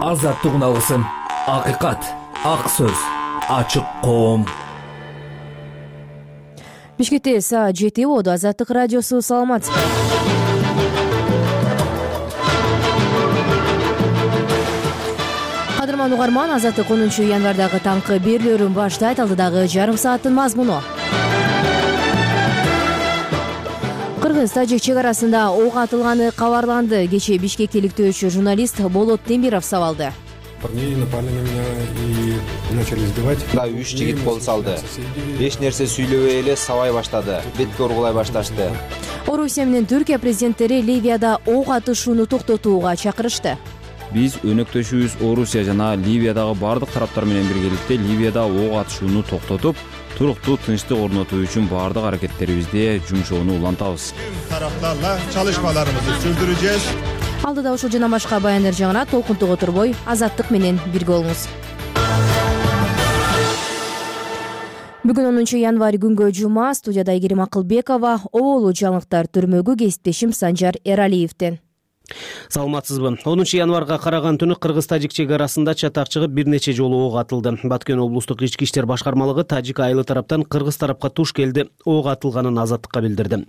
азаттык алгысың. Акыйкат, ак сөз, ачык коом. Бишкекте саат 7 болду. Азаттык радиосу, саламатсызбы? Кадырман угарман, Азаттык 10 январдагы таңкы берүүлөрүн баштайт. Алдыдагы жарым сааттын мазмуну. Кыргыз-тажик чек арасында ок атылганы кабарланды. Кечээ Бишкекте иликтөөчү журналист Болот Темиров сабалды. Парней напали на меня и начали избивать. Да, 3 жигит кол салды. Эч нерсе сүйлөбөй эле сабай баштады. Бетке ургулай башташты. Орусия менен Түркия президенттери Ливияда ок атышууну токтотууга чакырышты. Биз өнөктөшүбүз Орусия жана Ливиядагы бардык тараптар менен биргеликте Ливияда ок атышууну токтотуп, туруктуу тынчтык орнотуу үчүн бардык аракеттерибизде жумшоону улантабыз. Тараптарла чалышмаларыбызды сүрдүрүшөбүз. Алдыда ушул жана башка баяндар жаңына толкунтуга турбой Азаттык менен бирге болуңуз. Бүгүн 10 январь күнгө жума. Студияда Айгерим Акылбекова, оболу жаңылыктар түрмөгү кесиптешим Санжар Эралиевден. Саламатсызбы? 10 январга караган түнү Кыргыз-тажик чек арасында чатак чыгып бир нече жолу ок атылды. Баткен облустук ички иштер башкармалыгы тажик айылы тараптан кыргыз тарапка туш келди ок атылганын Азаттыкка билдирди.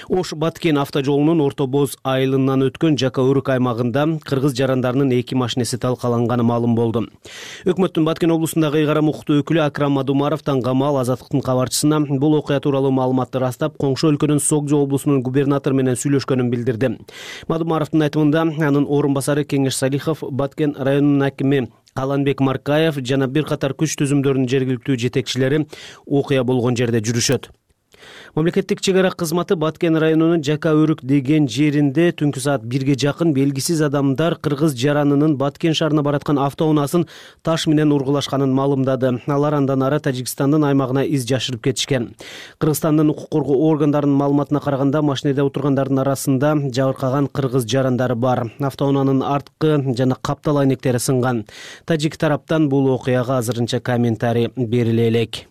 Ош Баткен автожолунун Орто Боз айылынан өткөн Жака Өрүк аймагында кыргыз жарандарынын 2 машинеси талкаланганы маалым болду. Өкмөттүн Баткен облусундагы ыйгарым укуктуу өкүлү Акрам Мадумаров таңгамал Азаттыктын кабарчысына бул окуя тууралуу маалыматты растап, коңшу өлкөнүн Согжо облусунун губернатору менен сүйлөшкөнүн билдирди. Мадумаровдун айтымында анын орун басары Кеңеш Салихов, Баткен районунун акими Каланбек Маркаев жана бир катар күч түзүмдөрүнүн жергиликтүү жетекчилери окуя болгон жерде жүрүшөт. Мамлекеттик чек ара кызматы Баткен районунун Жака Өрүк деген жеринде түнкү саат 1ге жакын белгисиз адамдар кыргыз жаранынын Баткен шаарына бараткан автоунаасын таш менен ургулашканын маалымдады. Алар андан ары Тажикстандын аймагына из жашырып кетишкен. Кыргызстандын укук коргоо органдарынын маалыматына караганда машинеде отургандардын арасында жабыркаган кыргыз жарандары бар. Автоунаанын арткы жана каптал айнектери сынган. Тажик тараптан бул окуяга азырынча комментарий бериле элек.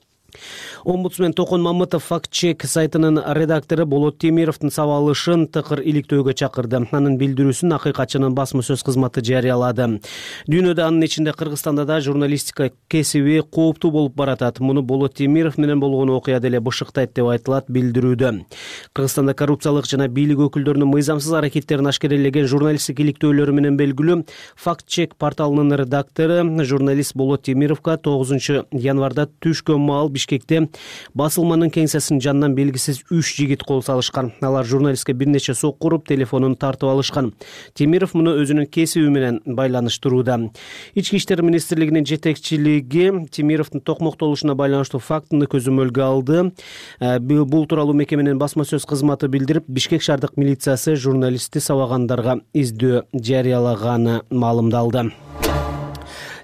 Омбудсмен Токон Мамытов факт-чек сайтынын редактору Болот Темировдун сабалышын тыкыр иликтөөгө чакырды. Анын билдирүүсүн Акыйкатчынын басма сөз кызматы жарыялады. Дүйнөдө, анын ичинде Кыргызстанда да журналистика кесиби кооптуу болуп баратат. Муну Болот Темиров менен болгон окуя деле бышыктайт деп айтылат билдирүүдө. Кыргызстанда коррупциялык жана бийлик өкүлдөрүнүн мыйзамсыз аракеттерин ашкерелеген журналисттик иликтөөлөрү менен белгилүү факт-чек порталынын редактору журналист Болот Темировго 9 январда түшкөн маал Бишкекте басылманын кеңсесинин жанынан белгисиз 3 жигит кол салышкан. Алар журналистке бир нече сок уруп, телефонун тартып алышкан. Темиров муну өзүнүн кесиби менен байланыштырууда. Ички иштер министрлигинин жетекчилиги Темировдун токмоктолушуна байланыштуу фактыны көзөмөлгө алды. Бул тууралуу мекеменин басма сөз кызматы билдирип, Бишкек шаардык милициясы журналистти сабагандарга издөө жарыялаганы маалымдалды.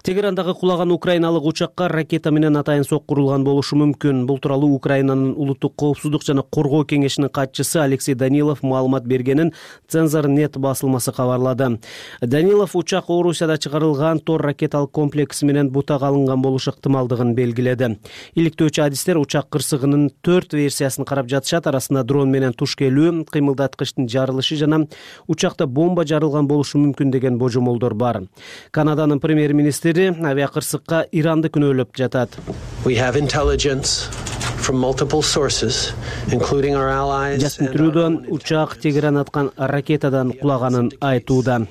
Тегерандагы кулаган украиналык учакка ракета менен атайын соккурулган болушу мүмкүн. Бул тууралуу Украинанын улуттук коопсуздук жана коргоо кеңешинин катчысы Алексей Данилов маалымат бергенин Цензор.нет басылмасы кабарлады. Данилов учак Орусияда чыгарылган Тор ракеталык комплекси менен бутага алынган болушу ыктымалдыгын белгиледи. Иликтөөчү адистер учак кырсыгынын 4 версиясын карап жатышат. Арасында дрон менен туш келүү, кыймылдаткычтын жарылышы жана учакта бомба жарылган болушу мүмкүн деген божомолдор бар. Канаданын премьер-министри авиакырсыкка Иранды күнөөлөп жатат. Жасмитирүүдөн учак Тегеран аткан ракетадан кулаганын айтууда.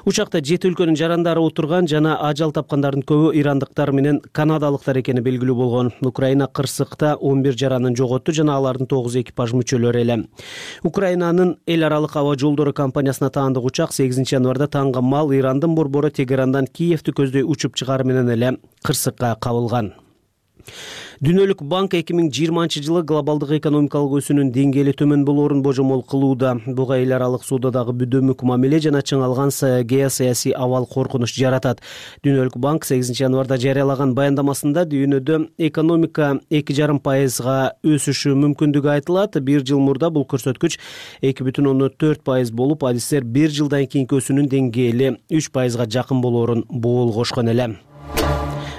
Учакта 7 өлкөнүн жарандары отурган жана ажал тапкандардын көбү ирандыктар менен канадалыктар экени белгилүү болгон. Украина кырсыкта 11 жаранын жоготту жана алардын 9 экипаж мүчөлөрү эле. Украинанын эл аралык аба жолдору компаниясына таандык учак 8 январда таңга мал Ирандын борбору Тегерандан Киевти көздөй учуп чыгары менен эле кырсыкка кабылган. Дүйнөлүк банк 2020-жылы глобалдык экономикалык өсүүнүн деңгээли төмөн болоорун божомол кылууда. Буга эл аралык соодадагы бүдөмүк мамиле жана чыңалган геосаясий абал коркунуч жаратат. Дүйнөлүк банк 8 январда жарыялаган баяндамасында дүйнөдө экономика 2,5% өсүшү мүмкүндүгү айтылат. Бир жыл мурда бул көрсөткүч 2,4% болуп, адистер бир жылдан кийинки өсүүнүн деңгээли 3%га жакын болоорун боолгошкон эле.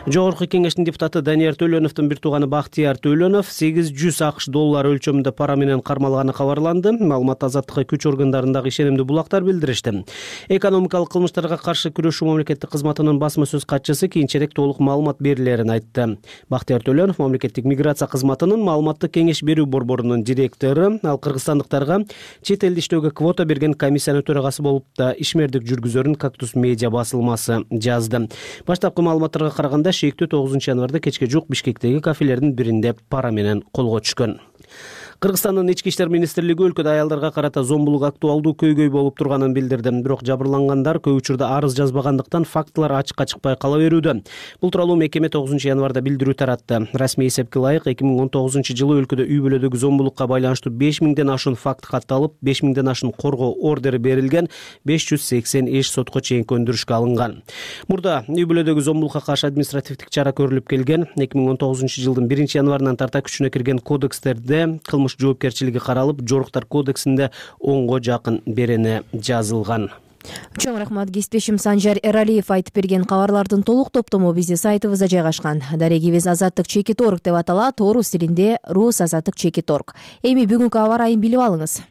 Жогорку кеңештин депутаты Данияр Төлөновдун бир тууганы Бактияр Төлөнов $800 өлчөмүндө пара менен кармалганы кабарланды. Маалымат Азаттыкка күч органдарындагы ишенимдүү булактар билдиришти. Экономикалык кылмыштарга каршы күрөшүү мамлекеттик кызматынын басма сөз катчысы кийинчерээк толук маалымат берилерин айтты. Бактияр Төлөнов мамлекеттик миграция кызматынын маалыматтык кеңеш берүү борборунун директору, ал кыргызстандыктарга чет элде иштөөгө квота берген комиссиянын төрагасы болуп да ишмердик жүргүзөрүн Кактус медиа басылмасы жазды. Баштапкы маалыматтарга караганда шектүү 9 январда кечке жук Бишкектеги кафелердин биринде пара менен колго түшкөн. Кыргызстандын ички иштер министрлиги өлкөдө аялдарга карата зомбулук актуалдуу көйгөй болуп турганын билдирди. Бирок жабырлангандар көп учурда арыз жазбагандыктан фактылар ачыкка чыкпай кала берүүдө. Бул тууралуу мекеме 9 январда билдирүү таратты. Расмий эсепке ылайык 2019 жылы өлкөдө үй бүлөдөгү зомбулукка байланыштуу 5000ден ашуун факт катталып, 5000ден ашуун коргоо ордери берилген, 580 эш сотко чейин көндүрүшкө алынган. Мурда үй бүлөдөгү зомбулукка каршы административдик чара көрүлүп келген. 2019 жылдын 1 январынан тарта күчүнө кирген кодекстерде кылмыш жоопкерчилиги каралып, жоруктар кодексинде 10го жакын берене жазылган. Чоң рахмат. Кесиптешим Санжар Эралиев айтып берген кабарлардын толук топтому биздин сайтыбызда жайгашкан. Дарегибиз azattik.org деп аталат, орус тилинде rus.azattik.org. Эми бүгүнкү аба ырайын билип алыңыз.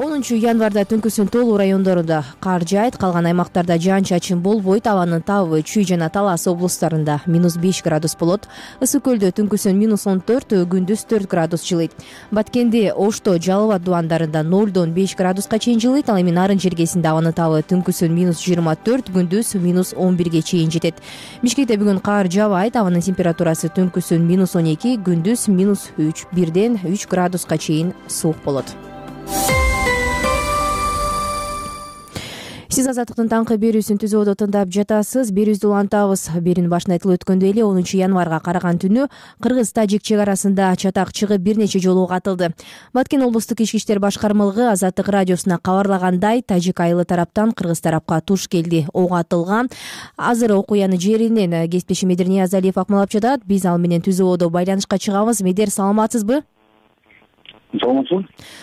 10 январда түнкүсүн Толуу райондорунда кар жаайт, калган аймактарда жаан-чачын болбойт. Абанын табы Чүй жана Талас облустарында -5 градус болот. Ысык көлдө түнкүсүн -14, күндүз 4 градус жылыйт. Баткенде, Ошто, Жалал абад дубандарында 0-дон 5 градуска чейин жылыйт. Ал эми Нарын жергесинде абанын табы түнкүсүн -24, күндүз -11ге чейин жетет. Бишкекте бүгүн кар жаабайт. Абанын температурасы түнкүсүн -12, күндүз -3, 1ден 3 градуска чейин суук болот. Сиз Азаттыктын таңкы берүүсүн түзүүдө тыңдап жатасыз. Берүүбүздү улантабыз. Берүүнүн башында айтылып өткөндөй эле 10 январга караган түнү Кыргыз-Тажик чек арасында чатак чыгып бир нече жолу ок атылды. Баткен облустук ички иштер башкармалыгы Азаттык радиосуна кабарлагандай, тажик айылы тараптан кыргыз тарапка туш келди, ок атылган. Азыр окуяны жеринен кесиптешим Медер Ниязалиев акмалап жатат. Биз ал менен түзүүдө байланышка чыгабыз. Медер, саламатсызбы? Саламатсызбы.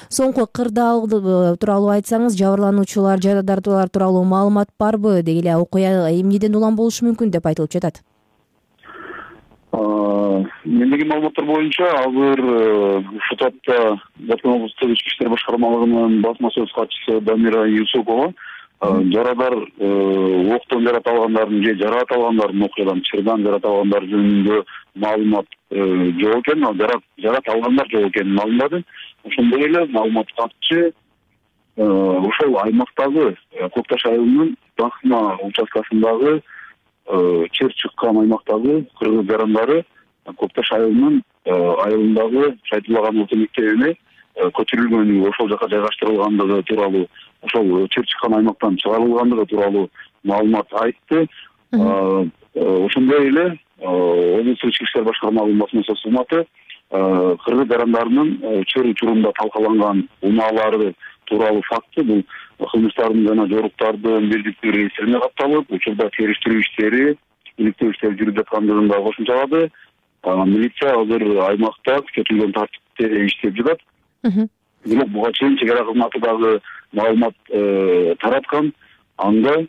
Соңку кырдаал тууралуу айтсаңыз, жабырлануучулар, жарадар тууралуу маалымат барбы? Деги эле окуя эмнеден улам болушу мүмкүн деп айтылып жатат? Мендеги маалыматтар боюнча азыр ушул тапта Баткен облустук ички иштер башкармалыгынын басма сөз катчысы Дамира Юсупова жарадар октон жарат алгандардын же жараат алгандардын окуядан чырдан жарат алгандар жөнүндө маалымат жок экен, жарат алгандар жок экенин маалымдады. Ошондой эле маалымат катчы ошол аймактагы Көкташ айылынын Бахна участкасындагы чер чыккан аймактагы кыргыз жарандары Көкташ айылынын айылындагы Шайтуллаган орто мектебине көчүрүлгөнү, ошол жака жайгаштырылгандыгы тууралуу, ошол чер чыккан аймактан чыгарылгандыгы тууралуу маалымат айтты. Ошондой эле облустук ички иштер башкармалыгынын басма сөз кызматы кыргыз жарандарынын чер учурунда талкаланган унаалары тууралуу факты, бул кылмыштардын жана жоруктардын бирдиктүү реестрине катталып, учурда териштирүү иштери, иликтөө иштери жүрүп жаткандыгын да кошумчалады. Милиция азыр аймакта күчөтүлгөн тартипте иштеп жатат. Бирок буга чейин чек ара кызматы дагы маалымат тараткан. Анда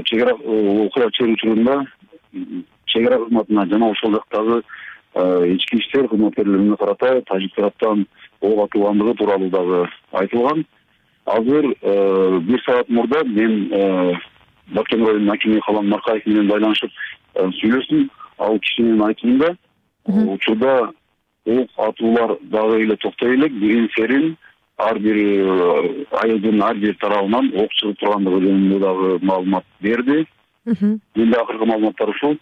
чек ара окуя чер учурунда чек ара кызматына жана ошол жактагы ички иштер кызматкерлерине карата тажик тараптан ок атылгандыгы тууралуу дагы айтылган. Азыр 1 саат мурда мен Баткен районунун акими Калан Маркаев менен байланышып сүйлөштүм. Ал кишинин айтымында учурда ок атуулар дагы эле токтой элек, бирин серин ар бир айылдын ар бир тарабынан ок чыгып тургандыгы жөнүндө дагы маалымат берди. Менде акыркы маалыматтар ушул.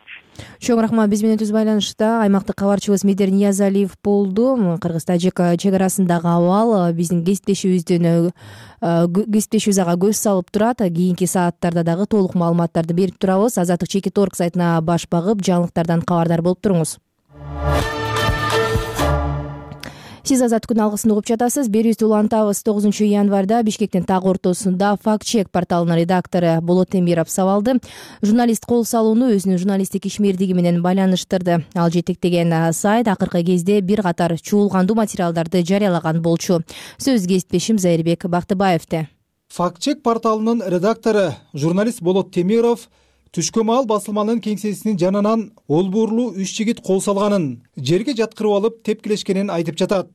Чоң рахмат. Биз менен түз байланышта аймактык кабарчыбыз Медер Ниязалиев болду. Кыргыз-Тажик чек арасындагы абал биздин кесиптешибиздин ага көз салып турат. Кийинки сааттарда дагы толук маалыматтарды берип турабыз. Azattik.org сайтына баш багып, жаңылыктардан кабардар болуп туруңуз. Сиз Азаттыктын алгысын угуп жатасыз. Берүүбүздү улантабыз. 9 январда Бишкектин так ортосунда факт-чек порталынын редактору Болот Темиров сабалды. Журналист кол салууну өзүнүн журналисттик ишмердиги менен байланыштырды. Ал жетектеген сайт акыркы кезде бир катар чуулгандуу материалдарды жарыялаган болчу. Сөз кесиптешим Зайырбек Бактыбаевде. Факт-чек порталынын редактору журналист Болот Темиров Түшкө маал басылманын кеңсесинин жанынан олбуурлуу 3 жигит кол салганын, жерге жаткырып алып тепкилешкенин айтып жатат.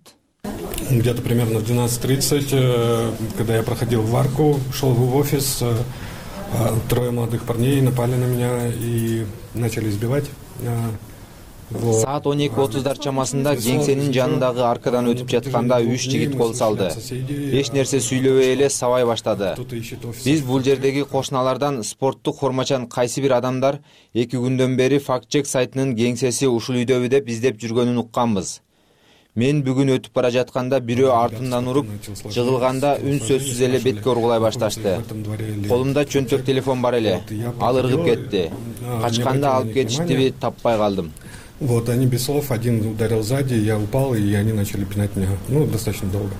Где-то примерно в 12:30, когда я проходил в арку, шел в офис, трое молодых парней напали на меня и начали избивать. Саат 12:30 чамасында кеңсенин жанындагы аркадан өтүп жатканда 3 жигит кол салды. Эч нерсе сүйлөбөй эле сабай баштады. Биз бул жердеги кошуналардан спорттук формачан кайсы бир адамдар 2 күндөн бери факт-чек сайтынын кеңсеси ушул үйдөбү деп издеп жүргөнүн укканбыз. Мен бүгүн өтүп бара жатканда бирөө артымдан уруп, жыгылганда үн сөзсүз эле бетке ургулай башташты. Колумда чөнтөк телефон бар эле. Ал ыргып кетти. Качканда алып кетиштиби, таппай калдым. Вот, они без слов, один ударил сзади, я упал, и они начали пинать меня, достаточно долго.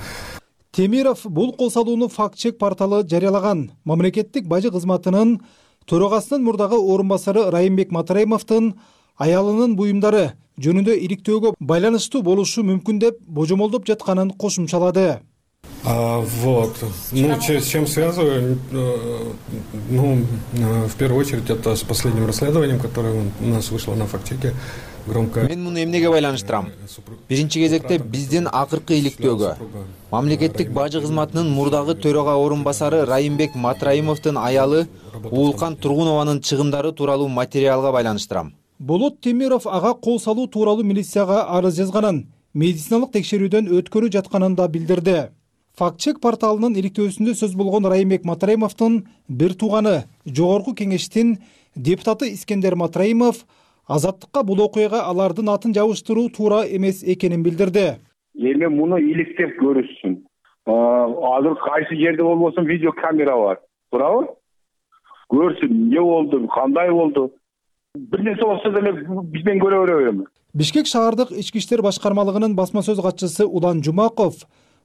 Темиров бул кол салууну факт-чек порталы жарыялаган. Мамлекеттик бажы кызматынын төрагасынын мурдагы орун басары Райымбек Матраимовдун аялынын буюмдары жөнүндө иликтөөгө байланыштуу болушу мүмкүн деп божомолдоп жатканын кошумчалады. Вот. С чем связываю? В первую очередь, это с последним расследованием, которое у нас вышло на факт-чеке. Мен муну эмнеге байланыштырам? Биринчи кезекте биздин акыркы иликтөөгө мамлекеттик бажы кызматынын мурдагы төрага орун басары Райымбек Матраимовдун аялы Уулкан Тургунованын чыгымдары тууралуу материалга байланыштырам. Болот Темиров ага кол салуу тууралуу милицияга арыз жазганын, медициналык текшерүүдөн өткөрүп жатканын да билдирди. Факт-чек порталынын иликтөөсүндө сөз болгон Райымбек Матраимовдун бир тууганы, жогорку кеңештин депутаты Искендер Матраимов Азаттыкка бул окуяга алардын атын жабыштыруу туура эмес экенин билдирди. Эми муну иликтеп көрүшсүн. Азыр кайсы жерде болбосун видео камера бар. Туурабы? Көрсүн, эмне болду, кандай болду. Бир нерсе болсо деле бизден көрө беребиз. Бишкек шаардык ички иштер башкармалыгынын басма сөз катчысы Улан Жумаков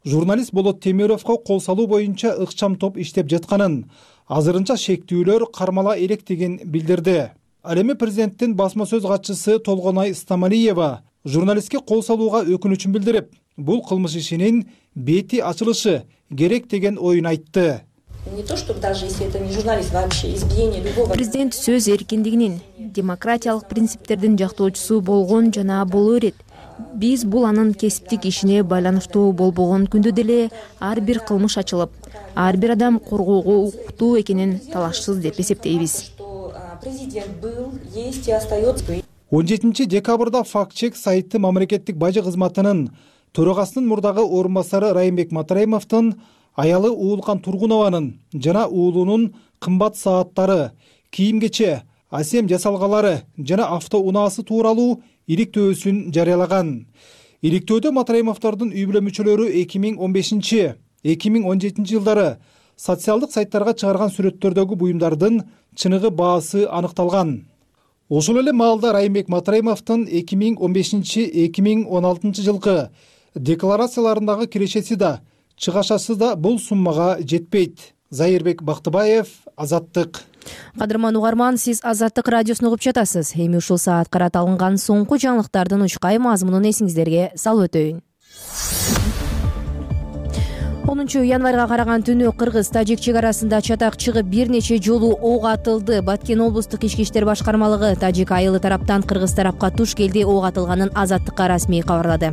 журналист Болот Темировго кол салуу боюнча ыкчам топ иштеп жатканын, азырынча шектүүлөр кармала электигин билдирди. Ал эми президенттин басма сөз катчысы Толгонай Стамалиева журналистке кол салууга өкүнүчүн билдирип, бул кылмыш ишинин бети ачылышы керек деген оюн айтты. Не то, что даже если это не журналист, вообще избиение любого. Президент сөз эркиндигинин, демократиялык принциптердин жактоочусу болгон жана боло берет. Биз бул анын кесиптик ишине байланыштуу болбогон күндө деле ар бир кылмыш ачылып, ар бир адам коргоого укуктуу экенин талашсыз деп эсептейбиз. Президент был, есть и остается. 17 декабрда факт-чек сайты мамлекеттик бажы кызматынын төрагасынын мурдагы орун басары Райымбек Матраимовдун аялы Уулкан Тургунованын жана уулунун кымбат сааттары, кийим-кече, асем жасалгалары жана автоунаасы тууралуу иликтөөсүн жарыялаган. Иликтөөдө Матраимовдордун үй бүлө мүчөлөрү 2015-2017 жылдары социалдык сайттарга чыгарган сүрөттөрдөгү буюмдардын чыныгы баасы аныкталган. Ошол эле маалда Райымбек Матраимовдун 2015-2016 жылкы декларацияларындагы кирешеси да, чыгашасы да бул суммага жетпейт. Зайырбек Бактыбаев, Азаттык. Кадырман угарман, сиз Азаттык радиосун угуп жатасыз. Эми ушул саат караталынган соңку жаңылыктардын учкай мазмунун эсиңиздерге салып өтөйүн. 10 январга караган түнү кыргыз-тажик чек арасында чатак чыгып бир нече жолу ок атылды. Баткен облустук ички иштер башкармалыгы тажик айылы тараптан кыргыз тарапка туш келди ок атылганын Азаттыкка расмий кабарлады.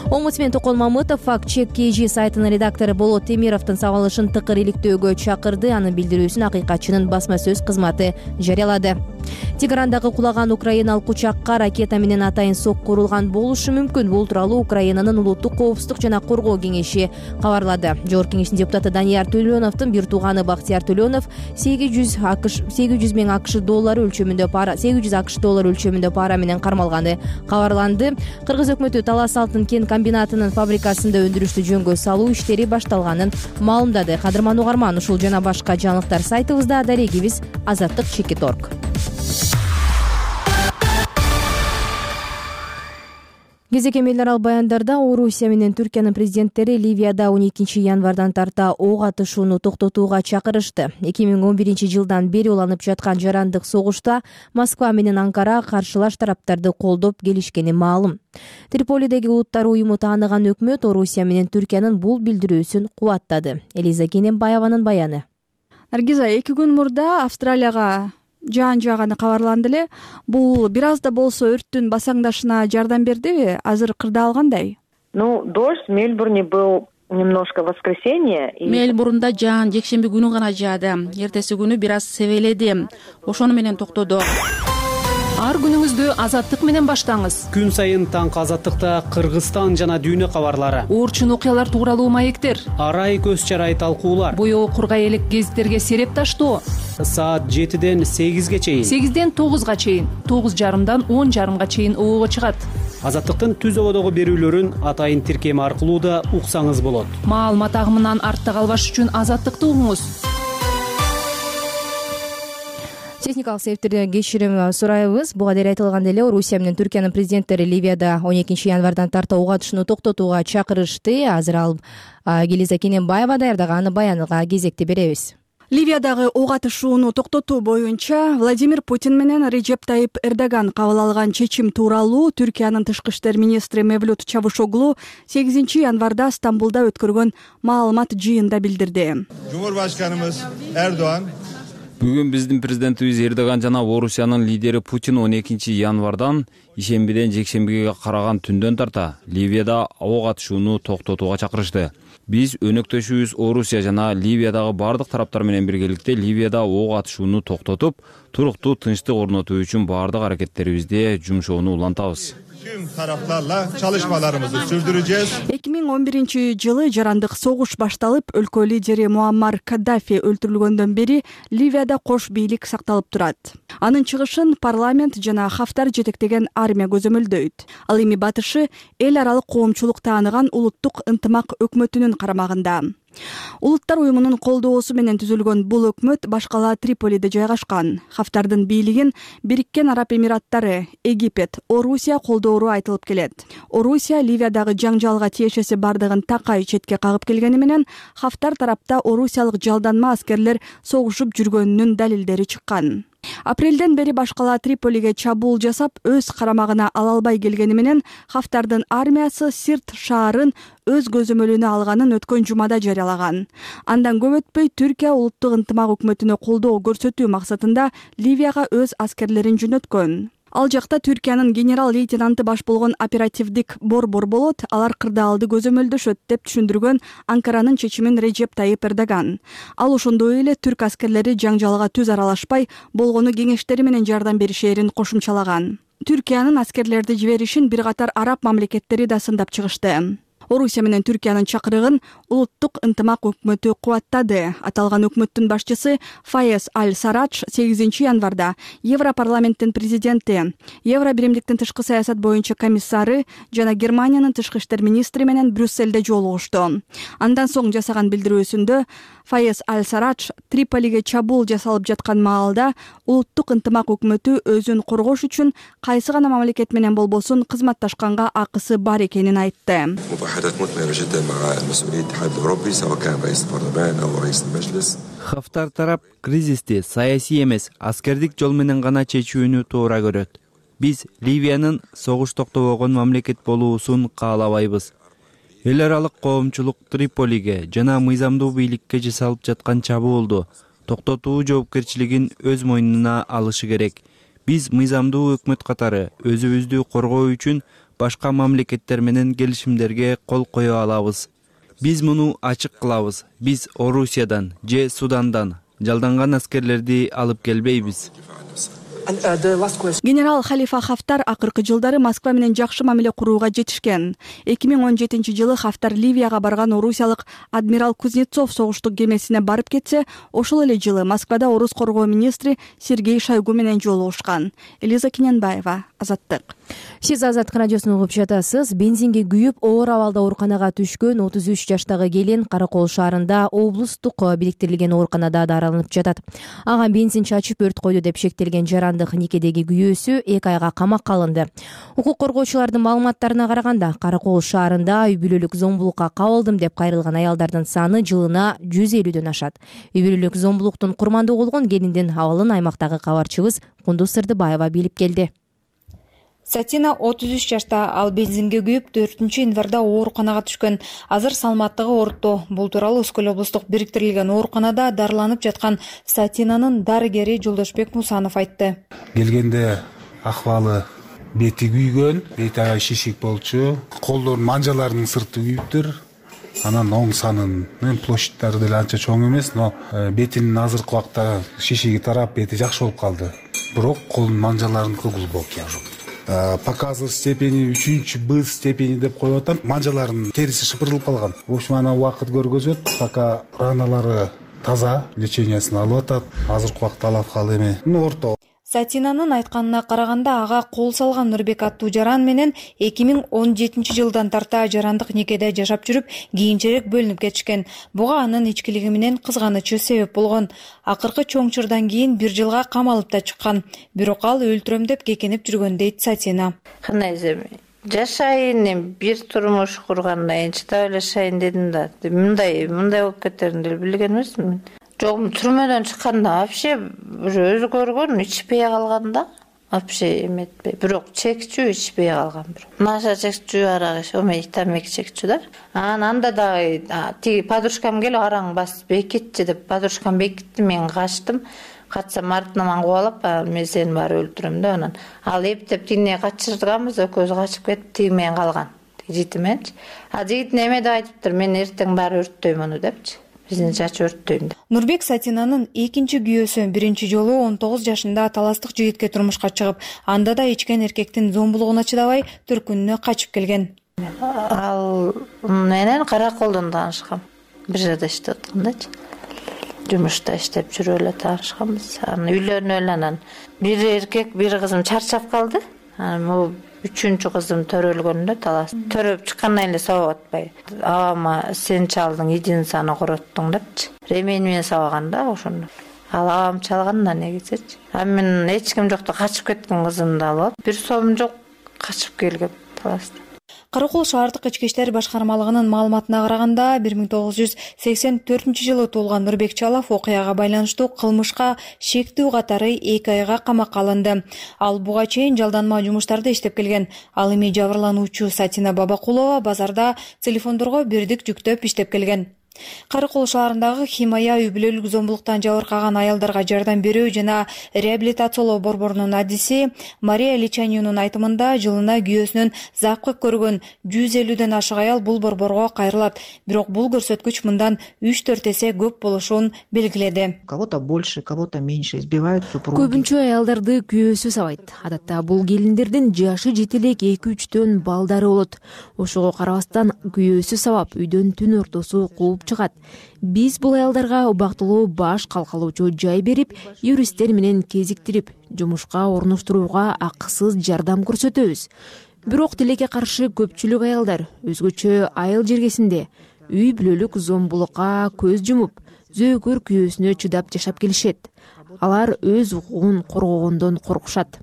Омбудсмен Токон Мамытов факт-чек KG сайтынын редактору Болот Темировдун сабалышын тыкыр иликтөөгө чакырды. Анын билдирүүсүн акыйкатчынын басма сөз кызматы жарыялады. Тегерандагы кулаган украиналык учакка ракета менен атайын сокку урулган болушу мүмкүн. Бул тууралуу Украинанын улуттук коопсуздук жана коргоо кеңеши кабарлады. Жогорку кеңештин депутаты Данияр Төлөновдун бир тууганы Бактияр Төлөнов 800 миң АКШ доллары өлчөмүндө пара менен кармалганы кабарланды. Кыргыз өкмөтү Талас Алтын кен комбинатынын фабрикасында өндүрүштү жөнгө салуу иштери башталганын маалымдады. Кадырман угарман, ушул жана башка жаңылыктар сайтыбызда, дарегибиз azattik.org. Кезекем эл аралык баяндарда Орусия менен Түркиянын президенттери Ливияда 12 январдан тарта ок атышууну токтотууга чакырышты. 2011 жылдан бери уланып жаткан жарандык согушта Москва менен Анкара каршылаш тараптарды колдоп келишкени маалым. Триполидеги улуттар уюму тааныган өкмөт Орусия менен Түркиянын бул билдирүүсүн кубаттады. Элиза Кененбаеванын баяны. Наргиза, 2 күн мурда Австралияга жаан жааганы кабарланды эле. Бул бир аз да болсо өрттүн басаңдашына жардам бердиби? Азыр кырдаал кандай? Дождь в Мельбурне был немножко в воскресенье. Мельбурнда жаан жекшемби күнү гана жаады. Эртеси күнү бир аз себеледи. Ошону менен токтоду. Ар күнүңүздү азаттык менен баштаңыз. Күн сайын таңкы азаттыкта Кыргызстан жана дүйнө кабарлары, Оорчун окуялар тууралуу маектер, арай көз чарай талкуулар, боёгу кургай элек гезиттерге сереп таштоо. Саат 7-ден 8-ге чейин, 8-ден 9-га чейин, 9:30-дан 10:30-га чейин обого чыгат. Азаттыктын түз ободогу берүүлөрүн атайын тиркеми аркылуу да уксаңыз болот. Маалымат агымынан артта калбаш үчүн азаттыкты угуңуз. Техникалык себептерден кечирим сурайбыз. Буга дейин айтылгандай эле Орусия менен Түркиянын президенттери Ливияда 12 январдан тарта ок атышууну токтотууга чакырышты. Азыр ал Келиза Кененбаева даярдаган аны баянга кезекти беребиз. Ливиядагы ок атышууну токтотуу боюнча Владимир Путин менен Реджеп Тайип Эрдоган кабыл алган чечим тууралуу Түркиянын тышкы иштер министри Мевлют Чавушоглу 8 январда Стамбулда өткөргөн маалымат жыйында билдирди. Cumhurbaşkanımız Erdoğan Бүгүн биздин президентибиз Эрдоган жана Орусиянын лидери Путин 12 январдан ишембиден жекшембиге караган түндөн тарта Ливияда ок атышууну токтотууга чакырышты. Биз өнөктөшүбүз Орусия жана Ливиядагы бардык тараптар менен биргеликте Ливияда ок атышууну токтотуп, туруктуу тынчтык орнотуу үчүн бардык аракеттерибизде жумшоону улантабыз. tüm taraflarla çalışmalarımızı sürdüreceğiz. 2011-жылы жарандык согуш башталып, өлкө лидери Муаммар Каддафи өлтүрүлгөндөн бери Ливияда кош бийлик сакталып турат. Анын чыгышын парламент жана Хафтар жетектеген армия көзөмөлдөйт. Ал эми батышы эл аралык коомчулук тааныган улуттук ынтымак өкмөтүнүн карамагында. Улуттар уюмунун колдоосу менен түзүлгөн бул өкмөт башкала Триполиде жайгашкан. Хафтардын бийлигин Бириккен Араб Эмираттары, Египет, Орусия колдоору айтылып келет. Орусия Ливиядагы жаңжалга тиешеси бардыгын такай четке кагып келгени менен Хафтар тарапта орусиялык жалданма аскерлер согушуп жүргөнүнүн далилдери чыккан. Апрелден бери башкала Триполиге чабуул жасап, өз карамагына ала албай келгени менен Хафтардын армиясы Сирт шаарын өз көзөмөлүнө алганын өткөн жумада жарыялаган. Андан көп өтпөй Түркия улуттук ынтымак өкмөтүнө колдоо көрсөтүү максатында Ливияга өз аскерлерин жөнөткөн. Ал жакта Түркиянын генерал-лейтенанты баш болгон оперативдик борбор болот, алар кырдаалды көзөмөлдөшөт деп түшүндүргөн Анкаранын чечимин Реджеп Тайип Эрдоган. Ал ошондой эле түрк аскерлери жаңжалга түз аралашпай, болгону кеңештери менен жардам беришерин кошумчалаган. Түркиянын аскерлерди жиберишин бир катар араб мамлекеттери да сындап чыгышты. Орусия менен Түркиянын чакырыгын улуттук ынтымак өкмөтү кубаттады. Аталган өкмөттүн башчысы Фаез Аль-Сарадж 8 январда Европарламенттин президенти, Евро биримдиктин тышкы саясат боюнча комиссары жана Германиянын тышкы иштер министри менен Брюссельде жолугушту. Андан соң жасаган билдирүүсүндө Фаез Аль-Сарадж Триполиге чабуул жасалып жаткан маалда улуттук ынтымак өкмөтү өзүн коргош үчүн кайсы гана мамлекет менен болбосун кызматташканга акысы бар экенин айтты. Хафтар тарап кризисти саясий эмес, аскердик жол менен гана чечүүнү туура көрөт. Биз Ливиянын согуш токтобогон мамлекет болуусун каалабайбыз. Эл аралык коомчулук Триполиге жана мыйзамдуу бийликке жасалып жаткан чабуулду токтотуу жоопкерчилигин өз мойнуна алышы керек. Биз мыйзамдуу өкмөт катары өзүбүздү коргоо үчүн башка мамлекеттер менен келишимдерге кол кое алабыз. Биз муну ачык кылабыз. Биз Орусиядан же Судандан жалданган аскерлерди алып келбейбиз. Генерал Халифа Хафтар акыркы жылдары Москва менен жакшы мамиле курууга жетишкен. 2017-жылы Хафтар Ливияга барган орусиялык адмирал Кузнецов согуштук кемесине барып кетсе, ошол эле жылы Москвада орус коргоо министри Сергей Шойгу менен жолугушкан. Элиза Кененбаева, Азаттык. Сиз Азаттык радиосун угуп жатасыз. Бензинге күйүп, оор абалда ооруканага түшкөн 33 жаштагы келин Каракол шаарында облустук бириктирилген ооруканада дараланып жатат. Ага бензин чачып өрт койду деп шектелген жарандык никедеги күйөөсү 2 айга камакка алынды. Укук коргоочулардын маалыматтарына караганда, Каракол шаарында үй бүлөлүк зомбулукка кабылдым деп кайрылган аялдардын саны жылына 150дөн ашат. Үй бүлөлүк зомбулуктун курмандуу болгон келиндин абалын аймактагы кабарчыбыз Кундуз Сырдыбаева билип келди. Сатина 33 жашта, ал бензинге күйүп 4-январда ооруканага түшкөн. Азыр саламаттыгы орто. Бул тууралуу Өскөл облустук бириктирилген ооруканада дарыланып жаткан Сатинанын дарыгери Жолдошбек Мусанов айтты. Келгенде акыбалы бети күйгөн, бети аябай шишик болчу, колдорунун манжаларынын сырты күйүптүр. Анан оң санынын площадьтары деле анча чоң эмес, но бетинин азыркы убакта шишиги тарап, бети жакшы болуп калды. Бирок колдун манжаларыныкы глубокий ожог. Показы степени 3-Б степени деп коюп атам. Манжаларынын териси шыпырылып калган. В общем, ана убакыт көргөзөт, пока раналары таза, лечениясын алып атат. Азыркы убакта алаткалы эме орто. Сатинанын айтканына караганда ага кол салган Нурбек аттуу жаран менен 2017 жылдан тарта жарандык некеде жашап жүрүп, кийинчерээк бөлүнүп кетишкен. Буга анын ичкилиги менен кызганычы себеп болгон. Акыркы чоң чырдан кийин 1 жылга камалып да чыккан. Бирок ал өлтүрөм деп кекенип жүргөн дейт Сатина. Кандай жашайын, бир турмуш кургандан кийин чыдап эле жашайын дедим да. Мындай болуп кетерин деле билген эмесмин. Жок, түрмөдөн чыкканда вообще өзгөргөн, ичпей калган да. Вообще эметпей. Бирок чекчүү ичпей калган. Наша чекчүү, арак ич, тамак чекчүү да. Анда дагы тиги подружкам келип араң басып бекитчи деп, подружкам бекитти, мен качтым. Качсам артынан кубалап, мен сени баары өлтүрөм деп анан. Ал эптеп тигине качырганбыз, экөөбүз качып кетип, тиги менен калган. Жигити менчи. Жигит неме деп айтыптыр, мен эртең баары өрттөйм аны депчи. Биздин чачы өрттөйм деп. Нурбек Сатинанын экинчи күйөөсү биринчи жолу 19 жашында таластык жигитке турмушка чыгып, анда да ичкен эркектин зомбулугуна чыдабай төркүнүнө качып келген. Ал менен Караколдон таанышкам. Бир жерде иштеп аткандачы. Жумушта иштеп жүрүп эле таанышканбыз. Анан үйлөнүп эле анан бир эркек, бир кызым чарчап калды. Анан могу 3-чү кызым төрөлгөндө талас. Төрөп чыккандан эле сабап атпай. Абама сен чалдың, идин саны короттуң депчи. Ремень менен сабаган да ошондо. Ал абам чалган да негизичи. Мен эч ким жокто качып кеткен кызымды алып, бир сом жок качып келгем таласта. Каракол шаардык ички иштер башкармалыгынын маалыматына караганда 1984-жылы туулган Нурбек Чалов окуяга байланыштуу кылмышка шектүү катары 2 айга камакка алынды. Ал буга чейин жалданма жумуштарды иштеп келген. Ал эми жабырлануучу Сатина Бабакулова базарда телефондорго бирдик жүктөп иштеп келген. Каракол шаарындагы Химая үй-бүлөлүк зомбулуктан жабыркаган аялдарга жардам берүү жана реабилитациялоо борборунун адиси Мария Личанюнун айтымында жылына күйөөсүнөн запкы көргөн 150ден ашык аял бул борборго кайрылат. Бирок бул көрсөткүч мындан 3-4 эсе көп болушун белгиледи. Кого-то больше, кого-то меньше избивают супруги. Көбүнчө аялдарды күйөөсү сабайт. Адатта бул келиндердин жашы жете элек 2-3төн балдары болот. Ошого карабастан күйөөсү сабап үйдөн түн ортосу кууп чыгат. Биз бул аялдарга убактылуу баш калкалоочу жай берип, юристтер менен кезиктирип, жумушка орноштурууга акысыз жардам көрсөтөбүз. Бирок тилекке каршы көпчүлүк аялдар өзгөчө айыл жергесинде үй-бүлөлүк зомбулукка көз жумуп, зөөкөр күйөөсүнө чыдап жашап келишет. Алар өз укугун коргогондон коркушат.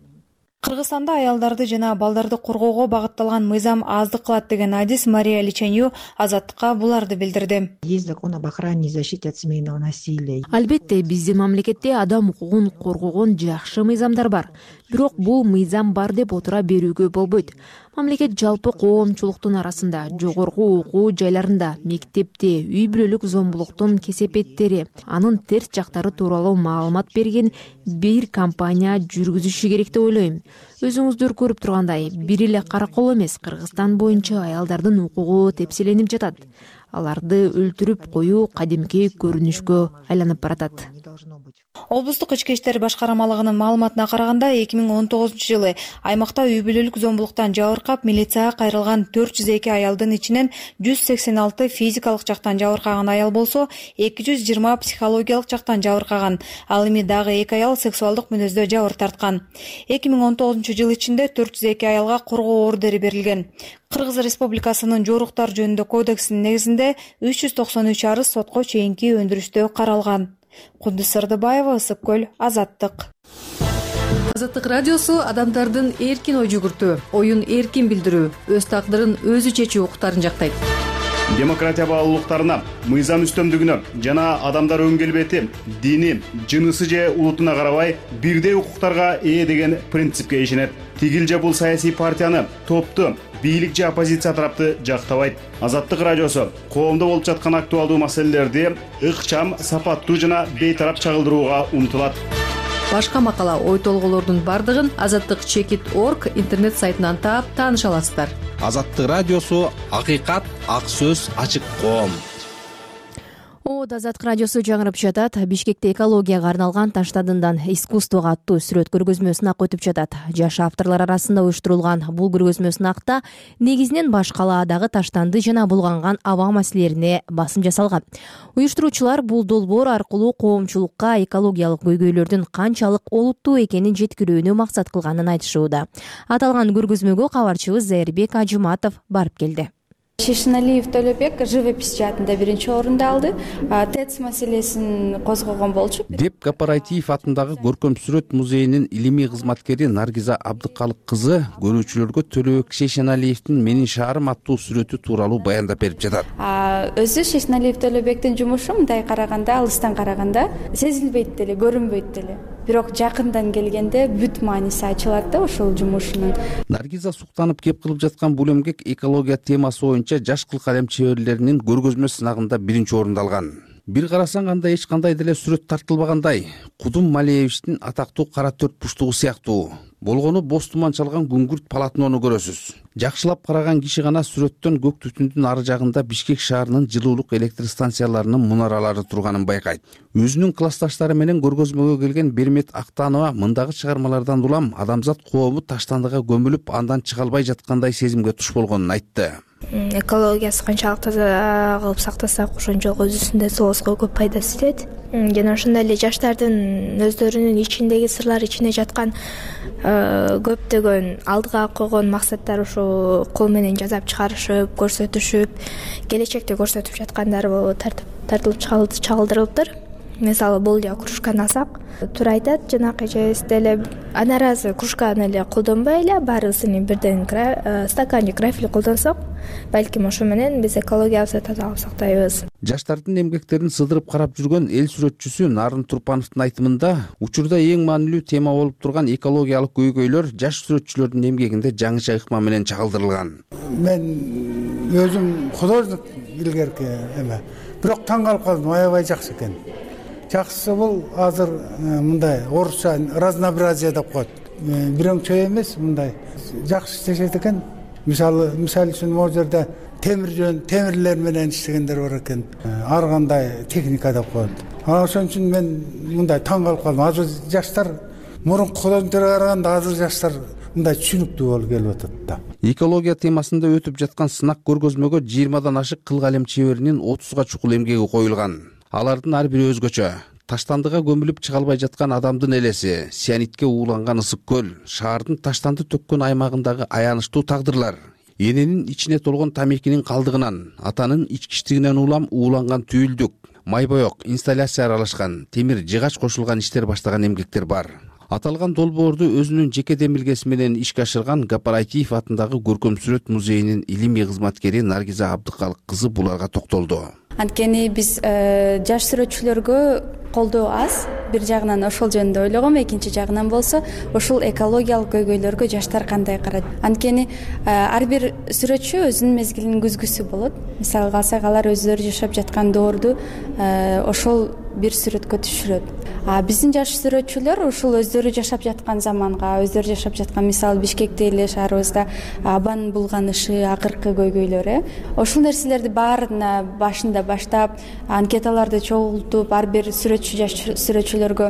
Кыргызстанда аялдарды жана балдарды коргоого багытталган мыйзам аздык кылат деген адис Мария Личанью Азаттыкка буларды билдирди. Есть закон об охране и защите от семейного насилия. Албетте, биздин мамлекетте адам укугун коргогон жакшы мыйзамдар бар. Бирок бул мыйзам бар деп отура берүүгө болбойт. Мамлекет жалпы коомчулуктун арасында, жогорку окуу жайларында, мектепте үй-бүлөлүк зомбулуктун кесепеттери, анын терс жактары тууралуу маалымат берген бир компания жүргүзүшү керек деп ойлойм. Өзүңүздөр көрүп тургандай, бир эле Каракол эмес, Кыргызстан боюнча аялдардын укугу тепселенип жатат. Аларды өлтүрүп коюу кадимки көрүнүшкө айланып баратат. Облустук ички иштер башкармалыгынын маалыматына караганда 2019-жылы аймакта үй-бүлөлүк зомбулуктан жабыркап милицияга кайрылган 402 аялдын ичинен 186 физикалык жактан жабыркаган аял болсо, 220 психологиялык жактан жабыркаган. Ал эми дагы 2 аял сексуалдык мүнөздө жабыр тарткан. 2019-жыл ичинде 402 аялга коргоо ордери берилген. Кыргыз Республикасынын жоруктар жөнүндө кодексинин негизинде 393 арыз сотко чейинки өндүрүштө каралган. Кудус Сырдыбаева, Ысык-Көл, Азаттык. Азаттык радиосу адамдардын эркин ой жүгүртүү, оюн эркин билдирүү, өз тагдырын өзү чечүү укуктарын жактайт. демократия баалуулуктарына, мыйзам үстөмдүгүнө жана адамдар өң келбети, дини, жынысы же улутуна карабай бирдей укуктарга ээ деген принципке ишенет. Тигил же бул саясий партияны, топту, бийлик же оппозиция тарапты жактабайт. Азаттык радиосу коомдо болуп жаткан актуалдуу маселелерди ыкчам, сапаттуу жана бейтарап чагылдырууга умтулат. Башка макала, ой толгоолордун бардыгын азаттык.org интернет сайтынан таап тааныша аласыздар. Азаттык радиосу акыйкат, ак сөз, ачык коом. Азаттык радиосу жаңырып жатат. Бишкекте экологияга арналган Таштадындан искусствого аттуу сүрөт көргөзмө сынак өтүп жатат. Жаш авторлор арасында уюштурулган бул көргөзмө сынакта негизинен баш калаадагы таштанды жана булганган аба маселелерине басым жасалган. Уюштуруучулар бул долбоор аркылуу коомчулукка экологиялык көйгөйлөрдүн канчалык олуттуу экенин жеткирүүнү максат кылганын айтышууда. Аталган көргөзмөгө кабарчыбыз Зайырбек Ажыматов барып келди. Шешеналиев Төлөбек живопись жаатында биринчи орунду алды. ТЭЦ маселесин козгогон болчу. Деп Кооператив атындагы көркөм сүрөт музейинин илимий кызматкери Наргиза Абдыкалык кызы көрүүчүлөргө Төлөбек Шешеналиевдин Менин шаарым аттуу сүрөтү тууралуу баяндап берип жатат. Өзү Шешеналиев Төлөбектин жумушу мындай караганда, алыстан караганда сезилбейт деле, көрүнбөйт деле. Бирок жакындан келгенде бүт мааниси ачылат да ошол жумушунун. Наргиза суктанып кеп кылып жаткан бул эмгек экология темасы боюнча жаш кыл калем чеберлеринин көргөзмө сынагында биринчи орунду алган. Бир карасаң анда эч кандай деле сүрөт тартылбагандай. Кудум Малиевичтин атактуу кара төрт буштугу сыяктуу. Болгону боз туман чалган күңгүрт полотнону көрөсүз. Жакшылап караган киши гана сүрөттөн көк түтүндүн ары жагында Бишкек шаарынын жылуулук электр станцияларынын мунаралары турганын байкайт. Өзүнүн классташтары менен көргөзмөгө келген Бермет Актанова мындагы чыгармалардан улам адамзат коому таштандыга көмүлүп, андан чыга албай жаткандай сезимге туш болгонун айтты. Экологиясы канчалык таза кылып сактасак, ошончолук өзүбүздүн сооско көп пайдасы тиет. Жана ошондой эле жаштардын өздөрүнүн ичиндеги сырлар, ичине жаткан көптөгөн алдыга койгон максаттар ушу кол менен жасап чыгарышып, көрсөтүшүп, келечекте көрсөтүп жаткандары болуп тартылып чагылдырылыптыр. Мисалы бул эле кружканы алсак, туура айтат, жанакы эжебиз деле аны ыраазы кружканы эле колдонбой эле баарыбызын бирден стаканчик крафель колдонсок, балким ошо менен биз экологиябызды тазалап сактайбыз. Жаштардын эмгектерин сыдырып карап жүргөн эл сүрөтчүсү Нарын Турпановдун айтымында, учурда эң маанилүү тема болуп турган экологиялык көйгөйлөр жаш сүрөтчүлөрдүн эмгегинде жаңыча ыкма менен чагылдырылган. Мен өзүм художник илгерки эме, бирок таң калып калдым, аябай жакшы экен. Жакшысы бул азыр мындай орусча разнообразие деп коет. Бирөңчө эмес, мындай жакшы иштешет экен. Мисалы үчүн могу жерде темирлер менен иштегендер бар экен. Ар кандай техника деп коет. Ошон үчүн мен мындай таң калып калдым. Азыр жаштар мурунку художниктерге караганда азыр жаштар мындай түшүнүктүү болуп келип атат да. Экология темасында өтүп жаткан сынак көргөзмөгө 20дан ашык кыл калем чеберинин 30га чукул эмгеги коюлган. Алардын ар бири өзгөчө. Таштандыга көмүлүп чыга албай жаткан адамдын элеси, сианитке ууланган ысык көл, шаардын таштанды төккөн аймагындагы аянычтуу тагдырлар, эненин ичине толгон тамекинин калдыгынан, атанын ичкичтигинен улам ууланган түйүлдүк, майбоек, инсталляция аралашкан, темир жыгач кошулган иштер баштаган эмгектер бар. Аталган долбоорду өзүнүн жеке демилгеси менен ишке ашырган Кооператив атындагы көркөм сүрөт музейинин илимий кызматкери Наргиза Абдыкалык кызы буларга токтолду. Анткени биз жаш сүрөтчүлөргө колдоо аз. Бир жагынан ошол жөнүндө ойлогом, экинчи жагынан болсо ошол экологиялык көйгөйлөргө жаштар кандай карайт. Анткени ар бир сүрөтчү өзүнүн мезгилинин күзгүсү болот. Мисалы алсак, алар өздөрү жашап жаткан доорду ошол бир сүрөткө түшүрөт. Биздин жаш сүрөтчүлөр ушул өздөрү жашап жаткан заманга, өздөрү жашап жаткан, мисалы Бишкекте эле шаарыбызда абанын булганышы, акыркы көйгөйлөр, ошол нерселерди баарына башында баштап, анкеталарды чогултуп, ар бир сүрөтчү жаш сүрөтчүлөргө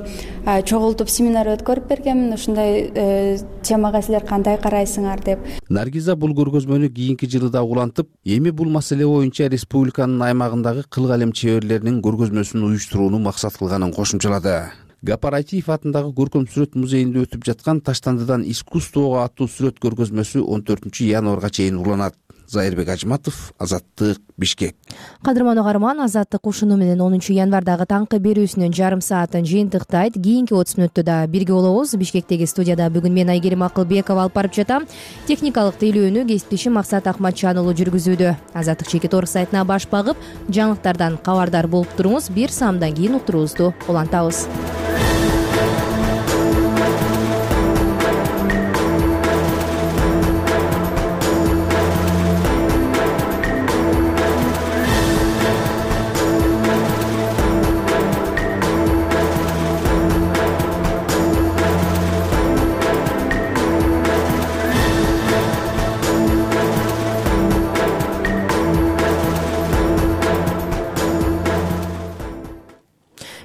чогултуп семинар өткөрүп бергенмин. Ушундай темага силер кандай карайсыңар деп. Наргиза бул көргөзмөнү кийинки жылы да улантып, эми бул маселе боюнча республиканын аймагындагы кыл калем чеберлеринин көргөзмөсүн уюштурууну максат кылганын кошумчалады. Кооператив атындагы көркөм сүрөт музейинде өтүп жаткан Таштандыдан искусствого аттуу сүрөт көргөзмөсү 14 январга чейин уланат. Зайырбек Ажматов, Азаттык, Бишкек. Кадырман угарман, Азаттык ушуну менен 10 январдагы таңкы берүүсүнүн жарым саатын жыйынтыктайт. Кийинки 30 мүнөттө да бирге болобуз. Бишкектеги студияда бүгүн мен Айгерим Акылбекова алып барып жатам. Техникалык тейлөөнү кесиптешим Максат Акматжан уулу жүргүзүүдө. Азаттык Чекит Орг сайтына баш багып, жаңылыктардан кабардар болуп туруңуз. Бир саамдан кийин уктуруубузду улантабыз.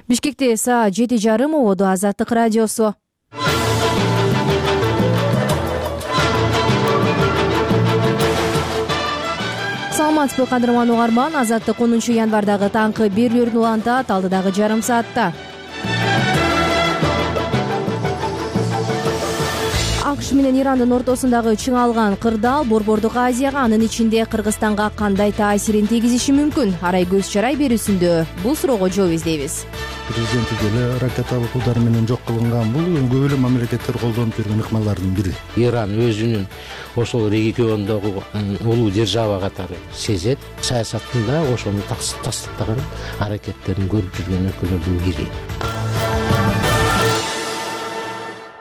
Бишкекте саат 7:30 ободу Азаттык радиосу. Саламатсызбы кадырман угарман, Азаттык 10 январдагы таңкы берүүлөрүн улантат алдыдагы жарым саатта. АКШ менен Ирандын ортосундагы чыңалган кырдаал Борбордук Азияга, анын ичинде Кыргызстанга кандай таасирин тийгизиши мүмкүн? Арай көз чарай берүүсүндө бул суроого жооп издейбиз. Президенттик эле ракеталык удар менен жок кылынган бул көп эле мамлекеттер колдонуп жүргөн ыкмалардын бири. Иран өзүнүн ошол региондогу улуу держава катары сезет. Саясатында ошону тастыктаган аракеттерин көрүп жүргөн өлкөлөрдүн бири.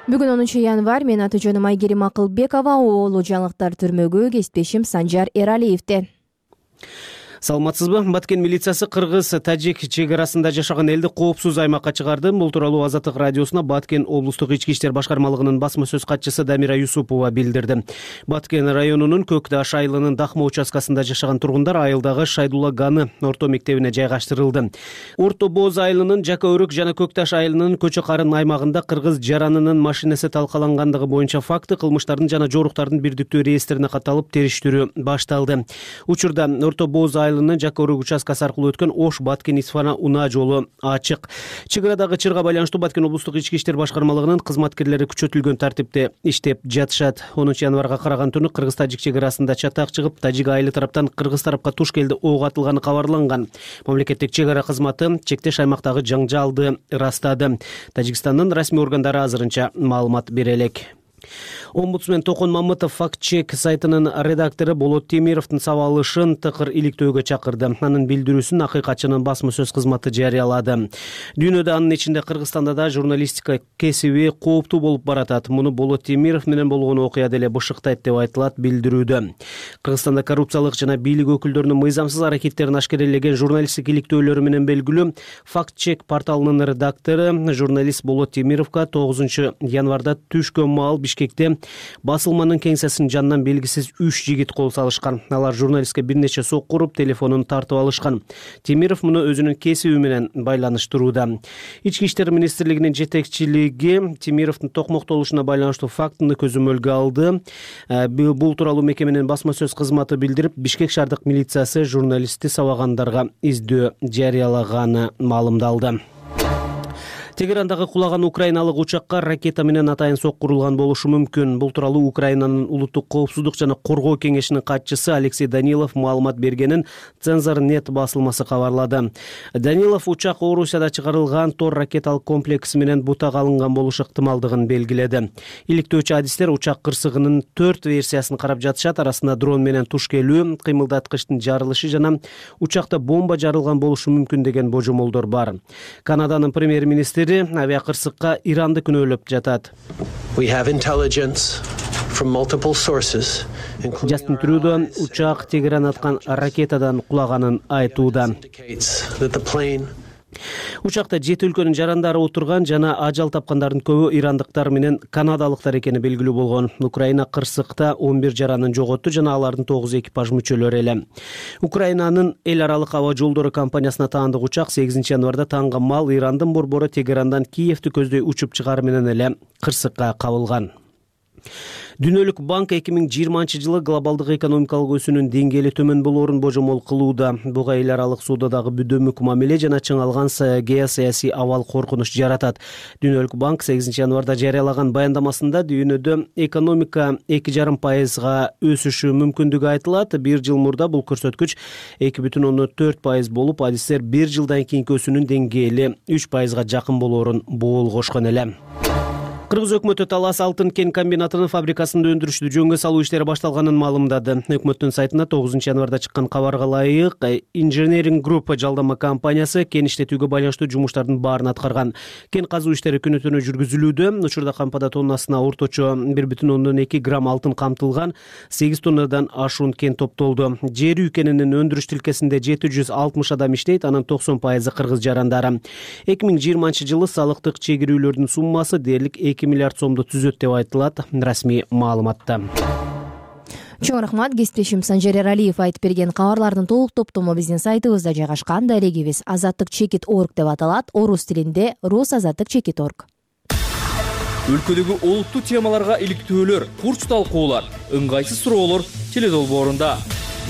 Бүгүн 10 январь, мен аты-жөнүм Айгерим Акылбекова, уулу жаңылыктар түрмөгө кесиптешим Санжар Эралиевде. Саламатсызбы? Баткен милициясы кыргыз-тажик чек арасында жашаган элди коопсуз аймакка чыгарды. Бул тууралуу Азаттык радиосуна Баткен облустук ички иштер башкармалыгынын басма сөз катчысы Дамира Юсупова билдирди. Баткен районунун Көк Таш айылынын Дахма участкасында жашаган тургундар айылдагы Шайдулла Ганы орто мектебине жайгаштырылды. Орто Боз айылынын Жака Өрүк жана Көк Таш айылынын Көчө Карын аймагында кыргыз жаранынын машинеси талкалангандыгы боюнча факты кылмыштардын жана жоруктардын бирдиктүү реестрине каталып териштирүү башталды. Учурда Орто Боз Жака Өрүк участкасы аркылуу өткөн Ош Баткен Исфана унаа жолу ачык. Чек арадагы чырга байланыштуу Баткен облустук ички иштер башкармалыгынын кызматкерлери күчөтүлгөн тартипте иштеп жатышат. 10 январга караган түнү кыргыз-тажик чек арасында чатак чыгып, тажик айылы тараптан кыргыз тарапка туш келди ок атылганы кабарланган. Мамлекеттик чек ара кызматы чектеш аймактагы жаңжалды ырастады. Тажикстандын расмий органдары азырынча маалымат бере элек. Омбудсмен Токон Мамытов факт-чек сайтынын редактору Болот Темировдун сабалышын тыкыр иликтөөгө чакырды. Анын билдирүүсүн Акыйкатчынын басма сөз кызматы жарыялады. Дүйнөдө, анын ичинде Кыргызстанда да журналистика кесиби кооптуу болуп баратат. Муну Болот Темиров менен болгон окуя деле бышыктайт деп айтылат билдирүүдө. Кыргызстанда коррупциялык жана бийлик өкүлдөрүнүн мыйзамсыз аракеттерин ашкерелеген журналисттик иликтөөлөрү менен белгилүү факт-чек порталынын редактору журналист Болот Темировго 9 январда түшкөн маал Бишкекте басылманын кеңсесинин жанынан белгисиз 3 жигит кол салышкан. Алар журналистке бир нече сокку уруп, телефонун тартып алышкан. Темиров муну өзүнүн кесиби менен байланыштырууда. Ички иштер министрлигинин жетекчилиги Темировдун токмоктолушуна байланыштуу фактыны көзөмөлгө алды. Бул тууралуу мекеменин басма сөз кызматы билдирип, Бишкек шаардык милициясы журналистти сабагандарга издөө жарыялаганы маалымдалды. Тегерандагы кулаган украиналык учакка ракета менен атайын соккурулган болушу мүмкүн. Бул тууралуу Украинанын улуттук коопсуздук жана коргоо кеңешинин катчысы Алексей Данилов маалымат бергенин Цензор.нет басылмасы кабарлады. Данилов учак Орусияда чыгарылган Тор ракеталык комплекси менен бутак алынган болушу ыктымалдыгын белгиледи. Иликтөөчү адистер учак кырсыгынын 4 версиясын карап жатышат. Арасында дрон менен туш келүү, кыймылдаткычтын жарылышы жана учакта бомба жарылган болушу мүмкүн деген божомолдор бар. Канаданын премьер-министри авиакырсыкка Иранды күнөөлөп жатат. Жастин Трюдо учак Тегеран аткан ракетадан кулаганын айтууда. Учакта 7 өлкөнүн жарандары отурган жана ажал тапкандардын көбү ирандыктар менен канадалыктар экени белгилүү болгон. Украина кырсыкта 11 жаранын жоготту жана алардын 9 экипаж мүчөлөрү эле. Украинанын эл аралык аба жолдору компаниясына таандык учак 8 январда таңга мал Ирандын борбору Тегерандан Киевти көздөй учуп чыгары менен эле кырсыкка кабылган. Дүйнөлүк банк 2020-жылы глобалдык экономикалык өсүүнүн деңгээли төмөн болоорун божомол кылууда. Буга эл аралык соодадагы бүдөмүк мамиле жана чыңалган геосаясий абал коркунуч жаратат. Дүйнөлүк банк 8-январда жарыялаган баяндамасында дүйнөдө экономика 2,5% өсүшү мүмкүндүгү айтылат. Бир жыл мурда бул көрсөткүч 2,4% болуп, адистер бир жылдан кийинки өсүүнүн деңгээли 3%га жакын болоорун боолгошкон эле. Кыргыз өкмөтү Талас алтын кен комбинатынын фабрикасында өндүрүштү жөнгө салуу иштери башталганын маалымдады. Өкмөттүн сайтында 9-январда чыккан кабарга ылайык, Engineering Group жалдама компаниясы кен иштетүүгө байланыштуу жумуштардын баарын аткарган. Кен казуу иштери күнү-түнү жүргүзүлүүдө. Учурда кампада тоннасына орточо 1,2 грамм алтын камтылган, 8 тоннадан ашуун кен топтолду. Жер үй кенинин өндүрүш тилкесинде 760 адам иштейт, анын 90% кыргыз жарандары. 2020-жылы салыктык чегирүүлөрдүн суммасы дээрлик 2 миллиард сомду түзөт деп айтылат расмий маалыматта. Чоң рахмат. Кесиптешим Санжер Эралиев айтып берген кабарлардын толук топтому биздин сайтыбызда жайгашкан. Дарегибиз azattik.org деп аталат. Орус тилинде rusazattik.org. Өлкөдөгү олуттуу темаларга иликтөөлөр, курч талкуулар, ыңгайсыз суроолор теледолбоорунда.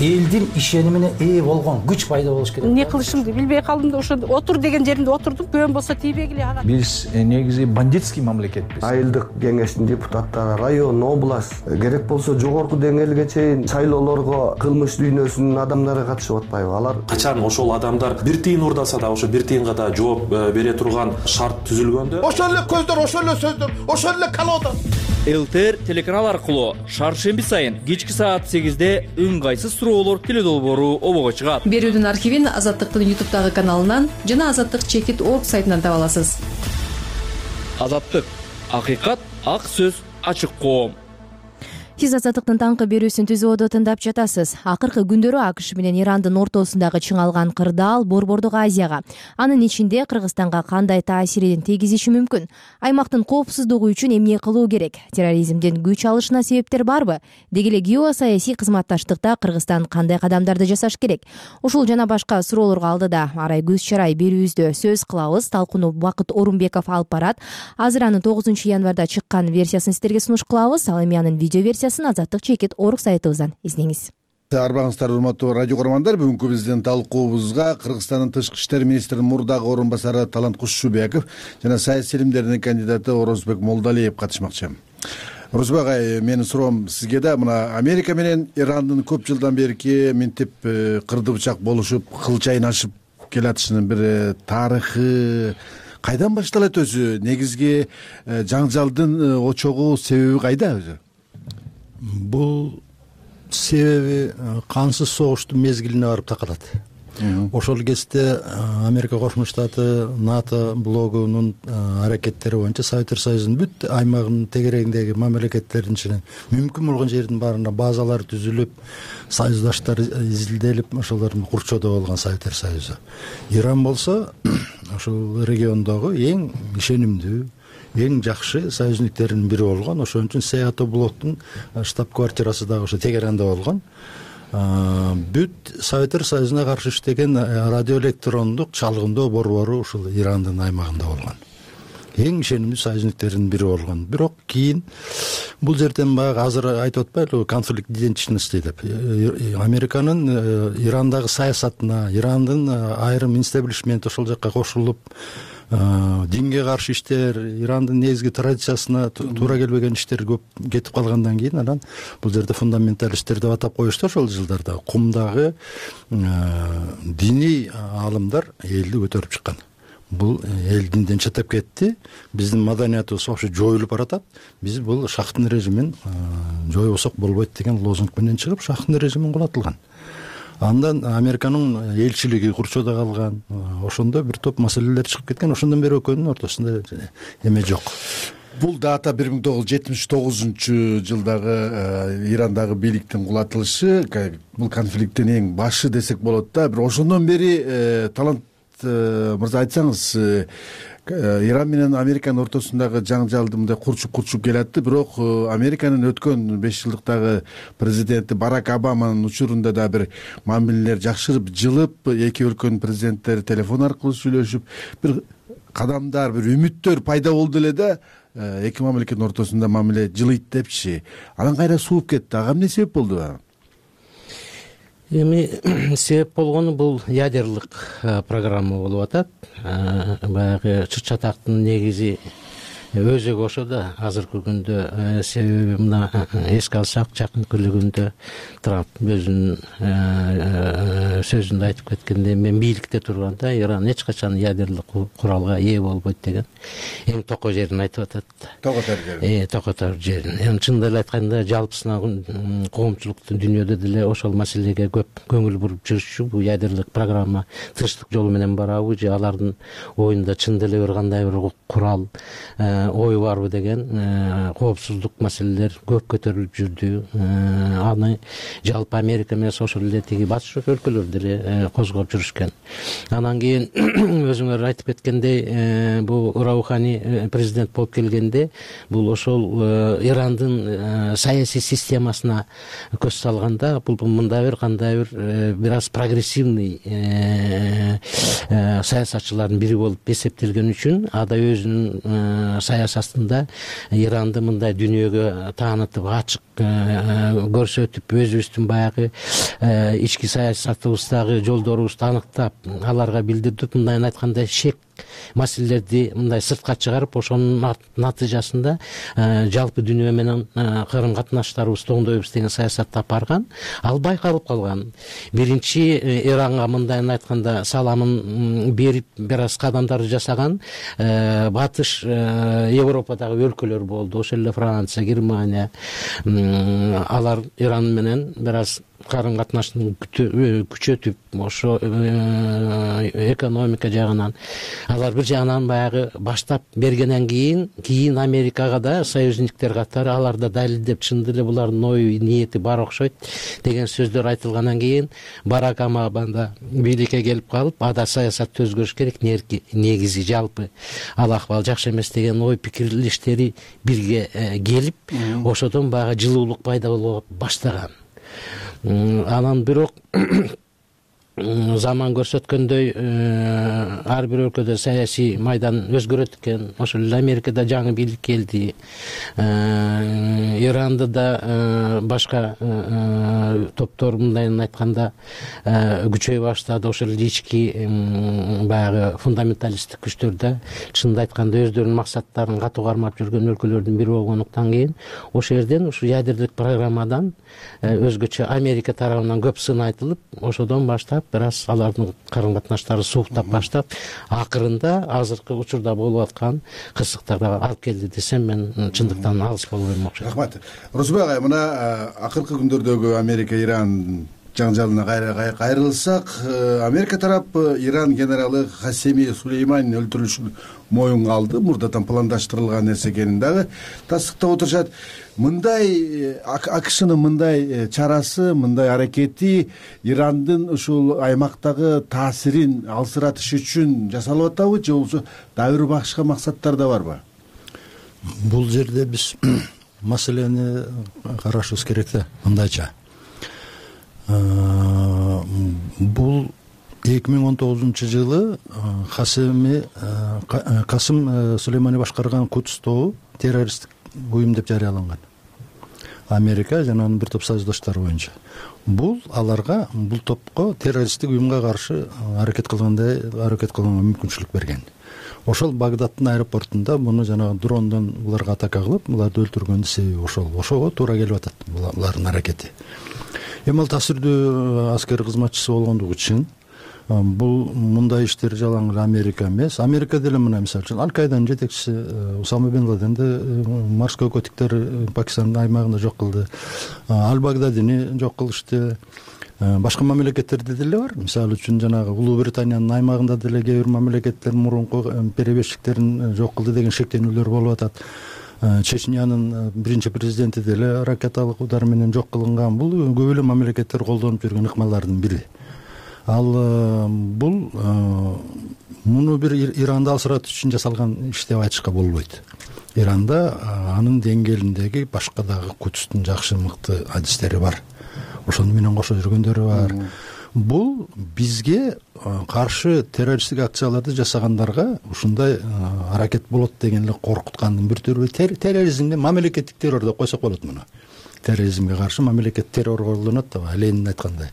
Элдин ишенимине ээ болгон күч пайда болуш керек. Эмне кылышымды билбей калдым да ошо отур деген жеримде отурдум. Көбөн болсо тийбегиле ага. Биз негизи бандитский мамлекетпиз. Айылдык кеңештин депутаттары, район, область, керек болсо жогорку деңгээлге чейин шайлоолорго кылмыш дүйнөсүнүн адамдары катышып атпайбы? Алар качан ошол адамдар бир тыйын урдаса да ошо бир тыйынга да жооп бере турган шарт түзүлгөндө ошол эле көздөр, ошол эле сөздөр, ошол эле колода. ЛТР телеканал аркылуу шаршемби сайын кечки саат 8-де ыңгайсыз суроолор теледолбоору обого чыгат. Берүүдүн архивин Азаттыктын YouTube каналынан жана azattik.org сайтынан таба аласыз. Азаттык, акыйкат, ак сөз, ачык коом. Сиз Азаттыктын таңкы берүүсүн түзүүдө тыңдап жатасыз. Акыркы күндөрү АКШ менен Ирандын ортосундагы чыңалган кырдаал Борбордук Азияга, анын ичинде Кыргызстанга кандай таасирин тийгизиши мүмкүн? Аймактын коопсуздугу үчүн эмне кылуу керек? Терроризмден күч алышына себептер барбы? Деги эле геосаясий кызматташтыкта Кыргызстан кандай кадамдарды жасаш керек? Ушул жана башка суроолорго алдыда арай көз чарай берүүбүздө сөз кылабыз. Талкууну Бакыт Орунбеков алып барат. Азыр анын 9-январда чыккан версиясын сиздерге сунуш кылабыз. Ал эми анын видео версиясын azattik.org сайтыбыздан издеңиз. Арбаңыздар, урматтуу радио көрөрмандар, бүгүнкү биздин талкуубузга Кыргызстандын тышкы иштер министринин мурдагы орун басары Талант Кушчубеков жана саясий илимдердин кандидаты Орозбек Молдалиев катышмакчы. Орозбек агай, менин суроом сизге да, мына Америка менен Ирандын көп жылдан берки минтип кырды бычак болушуп, кыл чайнашып келатышынын бир тарыхы кайдан башталат өзү? Негизги жаңжалдын очогу, себеби кайда өзү? Бул себеби кансыз согуштун мезгилине барып такалат. Ошол кезде Америка Кошмо Штаты, НАТО блогунун аракеттери боюнча Советтер Союзунун бүт аймагынын тегерегиндеги мамлекеттердин ичинен мүмкүн болгон жердин баарында базалар түзүлүп, союздаштар изилделип, ошолордун курчоодо болгон Советтер Союзу. Иран болсо ошол региондогу эң ишенимдүү, эң жакшы союзниктердин бири болгон. Ошон үчүн Сеато блоктун штаб-квартирасы дагы ошо Тегеранда болгон. Бүт Советтер Союзуна каршы иштеген радиоэлектрондук чалгындоо борбору ушул Ирандын аймагында болгон. Эң ишенимдүү союзниктердин бири болгон. Бирок кийин бул жерден баягы азыр айтып атпайлыбы, конфликт идентичности деп. Американын Ирандагы саясатына, Ирандын айрым инстаблишмент ошол жакка кошулуп, динге каршы иштер, Ирандын негизги традициясына туура келбеген иштер көп кетип калгандан кийин анан бул жерде фундаменталисттер деп атап коюшту. Ошол жылдарда кумдагы диний аалымдар элди көтөрүп чыккан. Бул эл динден чатап кетти, биздин маданиятыбыз вообще жоюлуп баратат, биз бул шахтын режимин жоюбасак болбойт деген лозунг менен чыгып шахтын режимин кулатылган. Андан Американын элчилиги курчоодо калган. Ошондо бир топ маселелер чыгып кеткен. Ошондон бери экөөнүн ортосунда эме жок. Бул дата 1979-жылдагы Ирандагы бийликтин кулатылышы, бул конфликттин эң башы десек болот да. Бир ошондон бери Талант мырза айтсаңыз, Иран менен Американын ортосундагы жаңжалды мындай курчуп келатты, бирок Американын өткөн 5 жылдыктагы президенти Барак Обаманын учурунда да бир мамилелер жакшырып, жылып, эки өлкөнүн президенттери телефон аркылуу сүйлөшүп, бир кадамдар, бир үмүттөр пайда болду эле да. эки мамлекеттин ортосунда мамиле жылыйт депчи, анан кайра сууп кетти. Ага эмне себеп болду? Эми себеп болгону бул ядерлык программа болуп атат. Баягы чыр-чатактын негизи өзөгү ошо да азыркы күндө. Себеби мына эске алсак, жакынкы күндө Трамп өзүнүн сөзүндө айтып кеткендей, мен бийликте турганда Иран эч качан ядерлык куралга ээ болбойт деген эң токой жерин айтып атат. Токотор жерин. Эми чынын эле айтканда, жалпысына коомчулуктун дүйнөдө деле ошол маселеге көп көңүл буруп жүрүшчү. Бул ядерлык программа тынчтык жолу менен барабы же алардын оюнда чын эле бир кандай бир курал ой барбы деген коопсуздук маселелер көп көтөрүлүп жүрдү. Аны жалпы Америка эмес, ошол эле тиги батыш өлкөлөр деле козгоп жүрүшкөн. Анан кийин өзүңөр айтып кеткендей, бул Раухани президент болуп келгенде, бул ошол Ирандын саясий системасына көз салганда, бул мындай бир кандай бир аз прогрессивный саясатчылардын бири болуп эсептелген үчүн, ада өзүнүн саясатында Иранды мындай дүйнөгө таанытып, ачык көрсөтүп, өзүбүздүн баягы ички саясатыбыздагы жолдорубузду аныктап, аларга билдирдип, мындайын айтканда шек маселелерди мындай сыртка чыгарып, ошонун натыйжасында жалпы дүйнө менен карым катнаштарыбызды оңдойбуз деген саясатты алып барган. Ал байкалып калган. Биринчи Иранга мындайын айтканда саламын берип, бир аз кадамдарды жасаган батыш Европадагы өлкөлөр болду. Ошол эле Франция, Германия. Алар Иран менен бир аз карым катнаштын күчөтүп, ошо экономика жагынан алар бир жагынан баягы баштап бергенден кийин Америкага да союзниктер катары алар да далилдеп, чын деле булардын ою ниети бар окшойт деген сөздөр айтылгандан кийин Барак Обама да бийликке келип калып, ада саясатты өзгөрүш керек, негизи жалпы ал акыбал жакшы эмес деген ой пикирлештери бирге келип, ошодон баягы жылуулук пайда боло баштаган. Анан бирок заман көрсөткөндөй ар бир өлкөдө саясий майдан өзгөрөт экен. Ошол эле Америкада жаңы бийлик келди. Иранда да башка топтор мындайын айтканда күчөй баштады. Ошол эле ички баягы фундаменталисттик күчтөр да чынында айтканда өздөрүнүн максаттарын катуу кармап жүргөн өлкөлөрдүн бири болгондуктан кийин ошол жерден ушу ядерлик программадан өзгөчө Америка тарабынан көп сын айтылып, ошодон баштап бир аз алардын карым катнаштары сууктап баштап, акырында азыркы учурда болуп аткан кырсыктарга алып келди десем, мен чындыктан алыс болбойм окшойт. Рахмат. Орозбек агай, мына акыркы күндөрдөгү Америка-Иран жаңжалына кайрылсак, Америка тарапы Иран генералы Касеми Сулейманин өлтүрүлүшүн моюнга алды. Мурдатан пландаштырылган нерсе экенин дагы тастыктап отурушат. Мындай АКШнын мындай чарасы, мындай аракети Ирандын ушул аймактагы таасирин алсыратыш үчүн жасалып атабы, же болбосо дагы бир башка максаттар да барбы? Бул жерде биз маселени карашыбыз керек да, мындайча. Бул 2019-жылы Касым Сулеймани башкарган Кудс тобу террористтик уюм деп жарыяланган. Америка жана анын бир топ союздаштары боюнча. Бул аларга, бул топко террористтик уюмга каршы аракет кылганга мүмкүнчүлүк берген. Ошол Багдадтын аэропортунда муну жанагы дрондон буларга атака кылып, буларды өлтүргөндүн себеби ошол. Ошого туура келип атат булардын аракети. Эми ал таасирдүү аскер кызматчысы болгондугу үчүн бул мындай иштер жалаң эле Америка эмес. Америка деле мына мисалы үчүн Аль-Кайданын жетекчиси Усама бен Ладенди Марс көкөтүктөр Пакистандын аймагында жок кылды. Аль-Багдадини жок кылышты. Башка мамлекеттерде деле бар. Мисалы үчүн жанагы Улуу Британиянын аймагында деле кээ бир мамлекеттер мурунку перебежчиктерин жок кылды деген шектенүүлөр болуп атат. Чечнянын биринчи президенти деле ракеталык удар менен жок кылынган. Бул көп эле мамлекеттер колдонуп жүргөн ыкмалардын бири. Ал бул муну бир Иранды алсыратыш үчүн жасалган иш деп айтышка болбойт. Иранда анын деңгээлиндеги башка дагы Кудстун жакшы мыкты адистери бар. Ошону менен кошо жүргөндөрү бар. бул бизге каршы террористтик акцияларды жасагандарга ушундай аракет болот деген эле коркуткандын бир түрү. Терроризмди мамлекеттик террор деп койсок болот муну. Терроризмге каршы мамлекет террор колдонот да, Ленин айткандай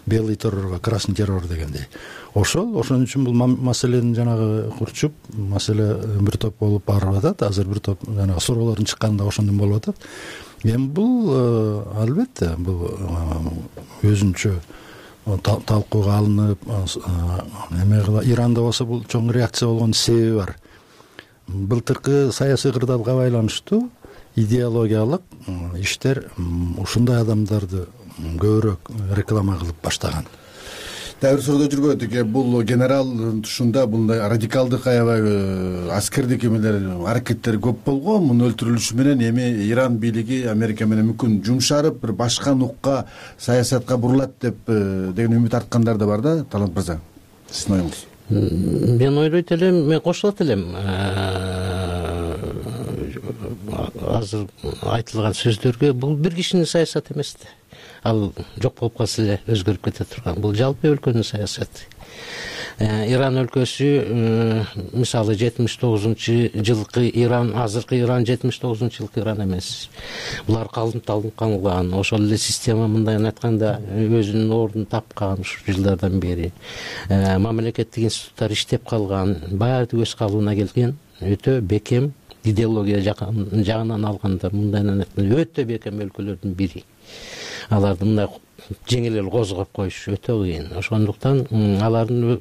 белый террорго красный террор дегендей. Ошол үчүн бул маселени жанагы курчуп, маселе бир топ болуп барып атат. Азыр бир топ жанагы суроолордун чыкканында ошондон болуп атат. Эми бул албетте бул өзүнчө талкууга алынып, Иранда болсо бул чоң реакция болгон себеби бар. Былтыркы саясий кырдаалга байланыштуу идеологиялык иштер ушундай адамдарды көбүрөөк реклама кылып баштаган. Дагы бир суроо жүргөн эки, бул генерал тушунда мындай радикалдык аябай аскердик эмелер, аракеттер көп болгон. Мунун өлтүрүлүшү менен эми Иран бийлиги Америка менен мүмкүн жумшарып, бир башка нукка саясатка бурулат деп деген үмүт арткандар да бар да, Талант мырза. Сиздин оюңуз? Мен ойлойт элем, мен кошулат элем. Азыр айтылган сөздөргө бул бир кишинин саясаты эмес да. Ал жок болуп калса эле өзгөрүп кете турган. Бул жалпы өлкөнүн саясаты. Иран өлкөсү мисалы 79-жылкы Иран, азыркы Иран 79-жылкы Иран эмес. Булар калыпталган, ошол эле система мындай айтканда өзүнүн ордун тапкан ушул жылдардан бери. Мамлекеттик институттар иштеп калган, баары өз калыбына келген, өтө бекем идеология жагынан алганда мындайдан айтканда өтө бекем өлкөлөрдүн бири. Аларды мындай жеңил эле козгоп коюш өтө кыйын. Ошондуктан алардын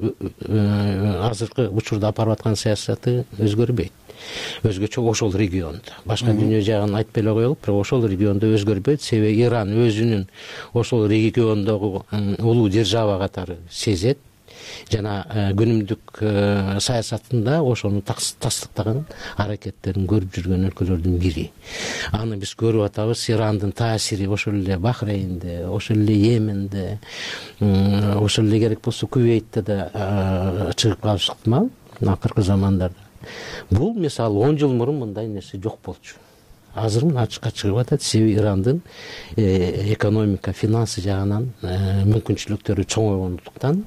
азыркы учурда алып аткан саясаты өзгөрбөйт. Өзгөчө ошол региондо. Башка дүйнө жагын айтпай эле коелук, бирок ошол региондо өзгөрбөйт. Себеби Иран өзүнүн ошол региондогу улуу держава катары сезет. Жана күнүмдүк саясатында ошону тастыктаган аракеттерин көрүп жүргөн өлкөлөрдүн бири. Аны биз көрүп атабыз. Ирандын таасири ошол эле Бахрейнде, ошол эле Йеменде, ошол эле керек болсо Кувейтте да чыгып калышы ыктымал акыркы замандарда. Бул мисалы 10 жыл мурун мындай нерсе жок болчу. Азыр мына ачыкка чыгып атат. Себеби Ирандын экономика, финансы жагынан мүмкүнчүлүктөрү чоңойгондуктан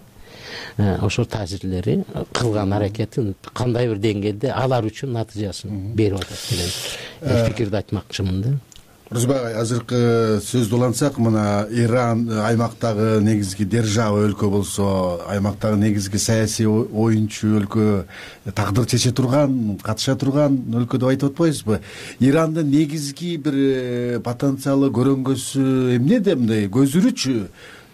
ошол таасирлери кылган аракетин кандай бир деңгээлде алар үчүн натыйжасын берип атат деген пикирди айтмакчымын да. Рузбай, азыркы сөздү улантсак, мына Иран аймактагы негизги держава өлкө болсо, аймактагы негизги саясий оюнчу өлкө, тагдыр чече турган, катыша турган өлкө деп айтып атпайбызбы? Ирандын негизги бир потенциалы, көрөнгөсү эмнеде, мындай көзүрүчү?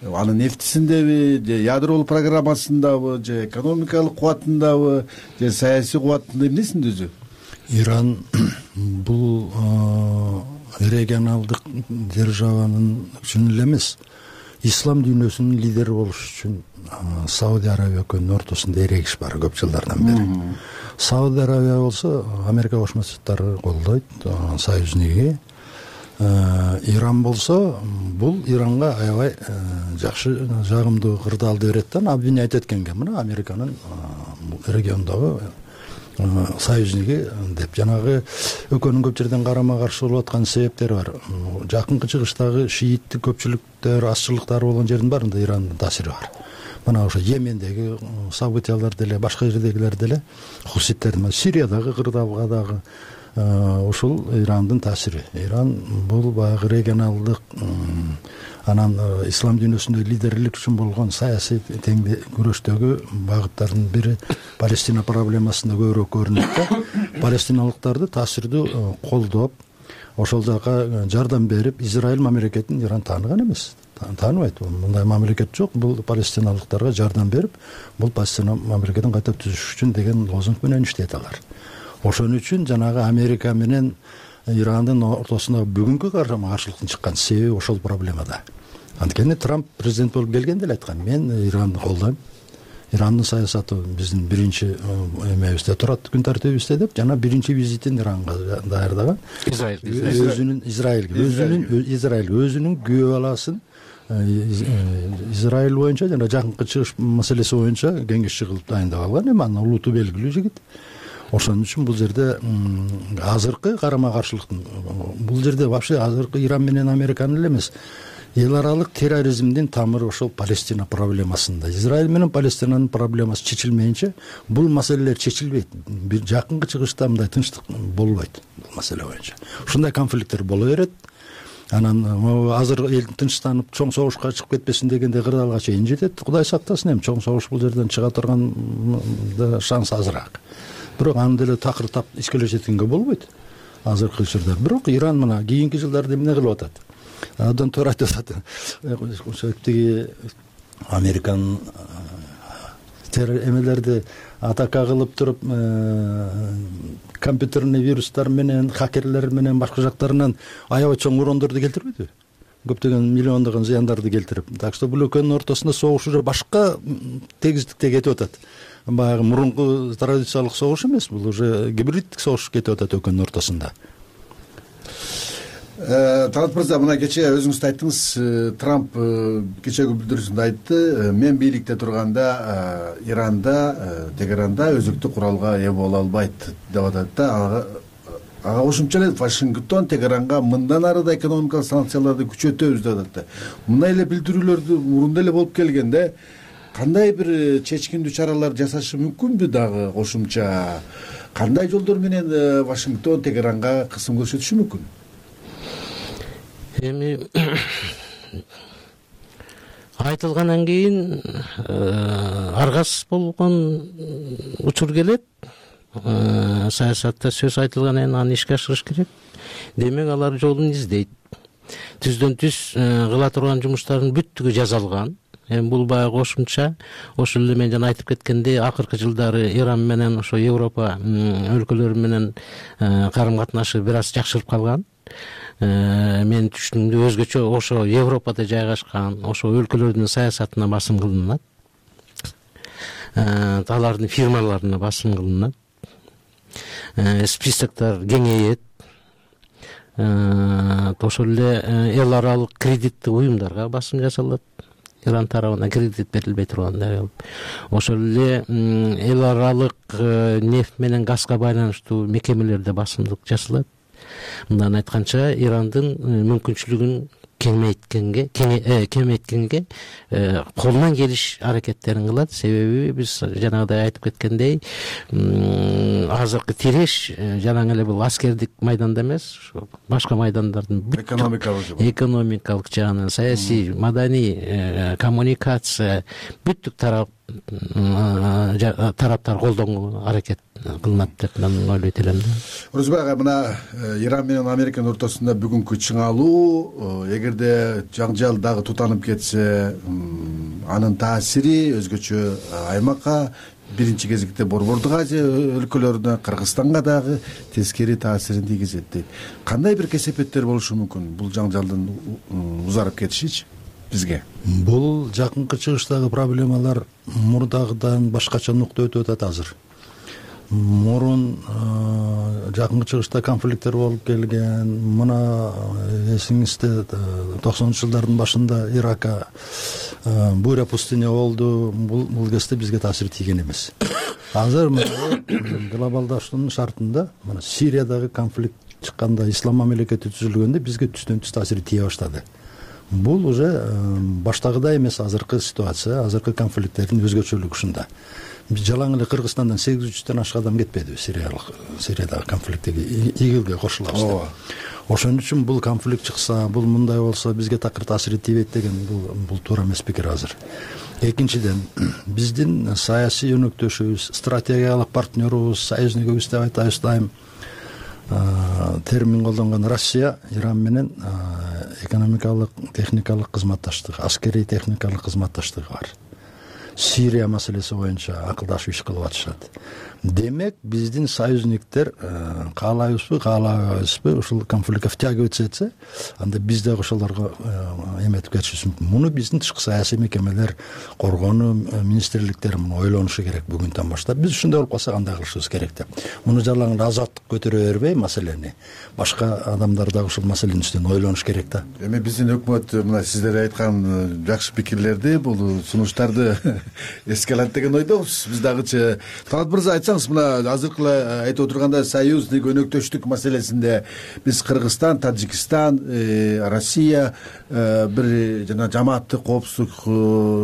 Анын нефтисиндеби, же ядролук программасындабы, же экономикалык кубатындабы, же саясий кубатында, эмнесинде өзү? Иран бул регионалдык державанын үчүн эле эмес, ислам дүйнөсүнүн лидери болуш үчүн Саудия Арабия өлкөнүн ортосунда эрегиш бар көп жылдардан бери. Саудия Арабия болсо Америка Кошмо Штаттары колдойт, союзники. Иран болсо бул Иранга аябай жакшы жагымдуу кырдаалды берет да, обвинять эткенге мына Американын региондогу союзники деп. Жанагы өлкөнүн көп жерден карама каршы болуп аткан себептери бар. Жакынкы чыгыштагы шииттик көпчүлүктөр, азчылыктар болгон жердин баарында Ирандын таасири бар. Мына ошо Йемендеги событиялар деле, башка жердегилер деле, хуситтердин, Сириядагы кырдаалга дагы ушул Ирандын таасири. Иран бул баягы регионалдык, анан ислам дүйнөсүндө лидерлик үчүн болгон саясий күрөштөгү багыттардын бири Палестина проблемасында көбүрөөк көрүнөт да. Палестиналыктарды таасирдүү колдоп, ошол жака жардам берип, Израиль мамлекетин Иран тааныган эмес. Тааныбайт. Мындай мамлекет жок. Бул палестиналыктарга жардам берип, бул Палестина мамлекетин кайта түзүш үчүн деген лозунг менен иштейт алар. Ошон үчүн жанагы Америка менен Ирандын ортосундагы бүгүнкү карама-каршылыктын чыккан себеби ошол проблемада. Анткени Трамп президент болуп келгенде эле айткан, мен Иранды колдойм. Ирандын саясаты биздин биринчи эмебизде турат, күн тартибибизде деп, жана биринчи визитин Иранга даярдаган. Израиль өзүнүн күйөө баласын Израиль боюнча жана жакынкы чыгыш маселеси боюнча кеңешчи кылып дайындап алган. Эми анын улуту белгилүү жигит. Ошон үчүн бул жерде азыркы карама-каршылыктын, бул жерде вообще азыркы Иран менен Американын эле эмес, эл аралык терроризмдин тамыры ошол Палестина проблемасында. Израиль менен Палестинанын проблемасы чечилмейинче бул маселелер чечилбейт. Бир жакынкы чыгышта мындай тынчтык болбойт бул маселе боюнча. Ушундай конфликттер боло берет. Анан азыр эл тынчтанып чоң согушка чыгып кетпесин дегенде кырдаалга чейин жетет. Кудай сактасын, эми чоң согуш бул жерден чыга турган шанс азыраак. Бирок аны деле такыр искелешеткенге болбойт азыркы учурда. Бирок Иран мына кийинки жылдарда эмне кылып атат? Абдан туура айтып атат. Тиги Американын эмелерди атака кылып туруп, компьютерный вирустар менен, хакерлер менен башка жактарынан аябай чоң урондорду келтирбейби? Көптөгөн миллиондогон зыяндарды келтирип. Так что бул экөөнүн ортосунда согуш уже башка тегиздикте кетип атат. Баягы мурунку традициялык согуш эмес, бул уже гибриддик согуш кетип атат экөөнүн ортосунда. Талат мырза, мына кечээ өзүңүз айттыңыз, Трамп кечээги билдирүүсүндө айтты, мен бийликте турганда Иранда, Тегеранда өзүктүү куралга ээ боло албайт деп атат да. Ага кошумча эле Вашингтон Тегеранга мындан ары да экономикалык санкцияларды күчөтөбүз деп атат да. Мындай эле билдирүүлөрдү мурунда эле болуп келгенде кандай бир чечкиндүү чаралар жасашы мүмкүнбү дагы кошумча? Кандай жолдор менен Вашингтон Тегеранга кысым көрсөтүшү мүмкүн? Эми айтылгандан кийин аргас болгон учур келет. Саясатта сөз айтылгандан кийин аны ишке ашырыш керек. Демек алар жолун издейт. Түздөн түз кыла турган жумуштардын бүттүгү жазалган. Эми бул баягы кошумча, ошол эле мен жана айтып кеткендей, акыркы жылдары Иран менен ошо Европа өлкөлөрү менен карым-катнашы бир аз жакшырып калган. Мен түшүнүгүмдө өзгөчө ошо Европада жайгашкан ошо өлкөлөрдүн саясатына басым кылынат. Алардын фирмаларына басым кылынат. Списоктор кеңейет. Ошол эле эл аралык кредиттик уюмдарга басым жасалат. Иран тарабынан кредит берилбей турганда. Ошол эле эл аралык нефть менен газга байланыштуу мекемелерде басымдык жасалат. Мындан айтканча, Ирандын мүмкүнчүлүгүн кемейткенге колунан келиш аракеттерин кылат. Себеби биз жанагыдай айтып кеткендей, азыркы тиреш жанагы эле бул аскердик майданда эмес, башка майдандардын экономикалык жагынан, саясий, маданий, коммуникация бүттүк тараптар колдонгонго аракет кылынат деп мен ойлойт элем да. Орозбек ага, мына Иран менен Американын ортосунда бүгүнкү чыңалуу, эгерде жаңжал дагы тутанып кетсе, анын таасири өзгөчө аймакка, биринчи кезекте Борбордук Азия өлкөлөрүнө, Кыргызстанга дагы тескери таасирин тийгизет дейт. Кандай бир кесепеттер болушу мүмкүн бул жаңжалдын узарып кетишичи бизге? Бул жакынкы чыгыштагы проблемалар мурдагыдан башкача нукта өтүп атат азыр. Мурун жакынкы чыгышта конфликттер болуп келген. Мына эсиңизде 90-жылдардын башында Иракка буря пустыня болду. Бул кезде бизге таасир тийген эмес. Азыр глобалдаштын шартында мына Сириядагы конфликт чыкканда, ислам мамлекети түзүлгөндө бизге түздөн түз таасири тие баштады. Бул уже баштагыдай эмес азыркы ситуация, азыркы конфликттердин өзгөчөлүгү ушунда. Биз жалаң эле Кыргызстандан 800-төн ашык адам кетпеди Сириядагы конфликтке, ИГИЛге кошулабыз деп. Ошон үчүн бул конфликт чыкса, бул мындай болсо бизге такыр таасири тийбейт деген бул туура эмес пикир азыр. Экинчиден, биздин саясий өнөктөшүбүз, стратегиялык партнерубуз, союзникибиз деп айтабыз дайым термин колдонгон Россия Иран менен экономикалык, техникалык кызматташтык, аскерий техникалык кызматташтыгы бар. Сирия маселеси боюнча акылдашып иш кылып атышат. Демек, биздин союзниктер каалайбызбы, каалабайбызбы ушул конфликтке втягиваться этсе, анда биз дагы ошолорго эметип кетишибиз мүмкүн. Муну биздин тышкы саясий мекемелер, коргонуу министрликтери муну ойлонушу керек бүгүндөн баштап. Биз ушундай болуп калса кандай кылышыбыз керек деп. Муну жалаң эле азаттык көтөрө бербей маселени, башка адамдар дагы ушул маселенин үстүнөн ойлонуш керек да. Эми биздин өкмөт мына сиздер айткан жакшы пикирлерди, бул сунуштарды эске алат деген ойдобуз биз дагычы. Талант мырза, айтсаңыз, мына азыркы эле айтып отургандай союздук өнөктөштүк маселесинде биз Кыргызстан, Тажикстан, Россия бир жана жамааттык коопсуздук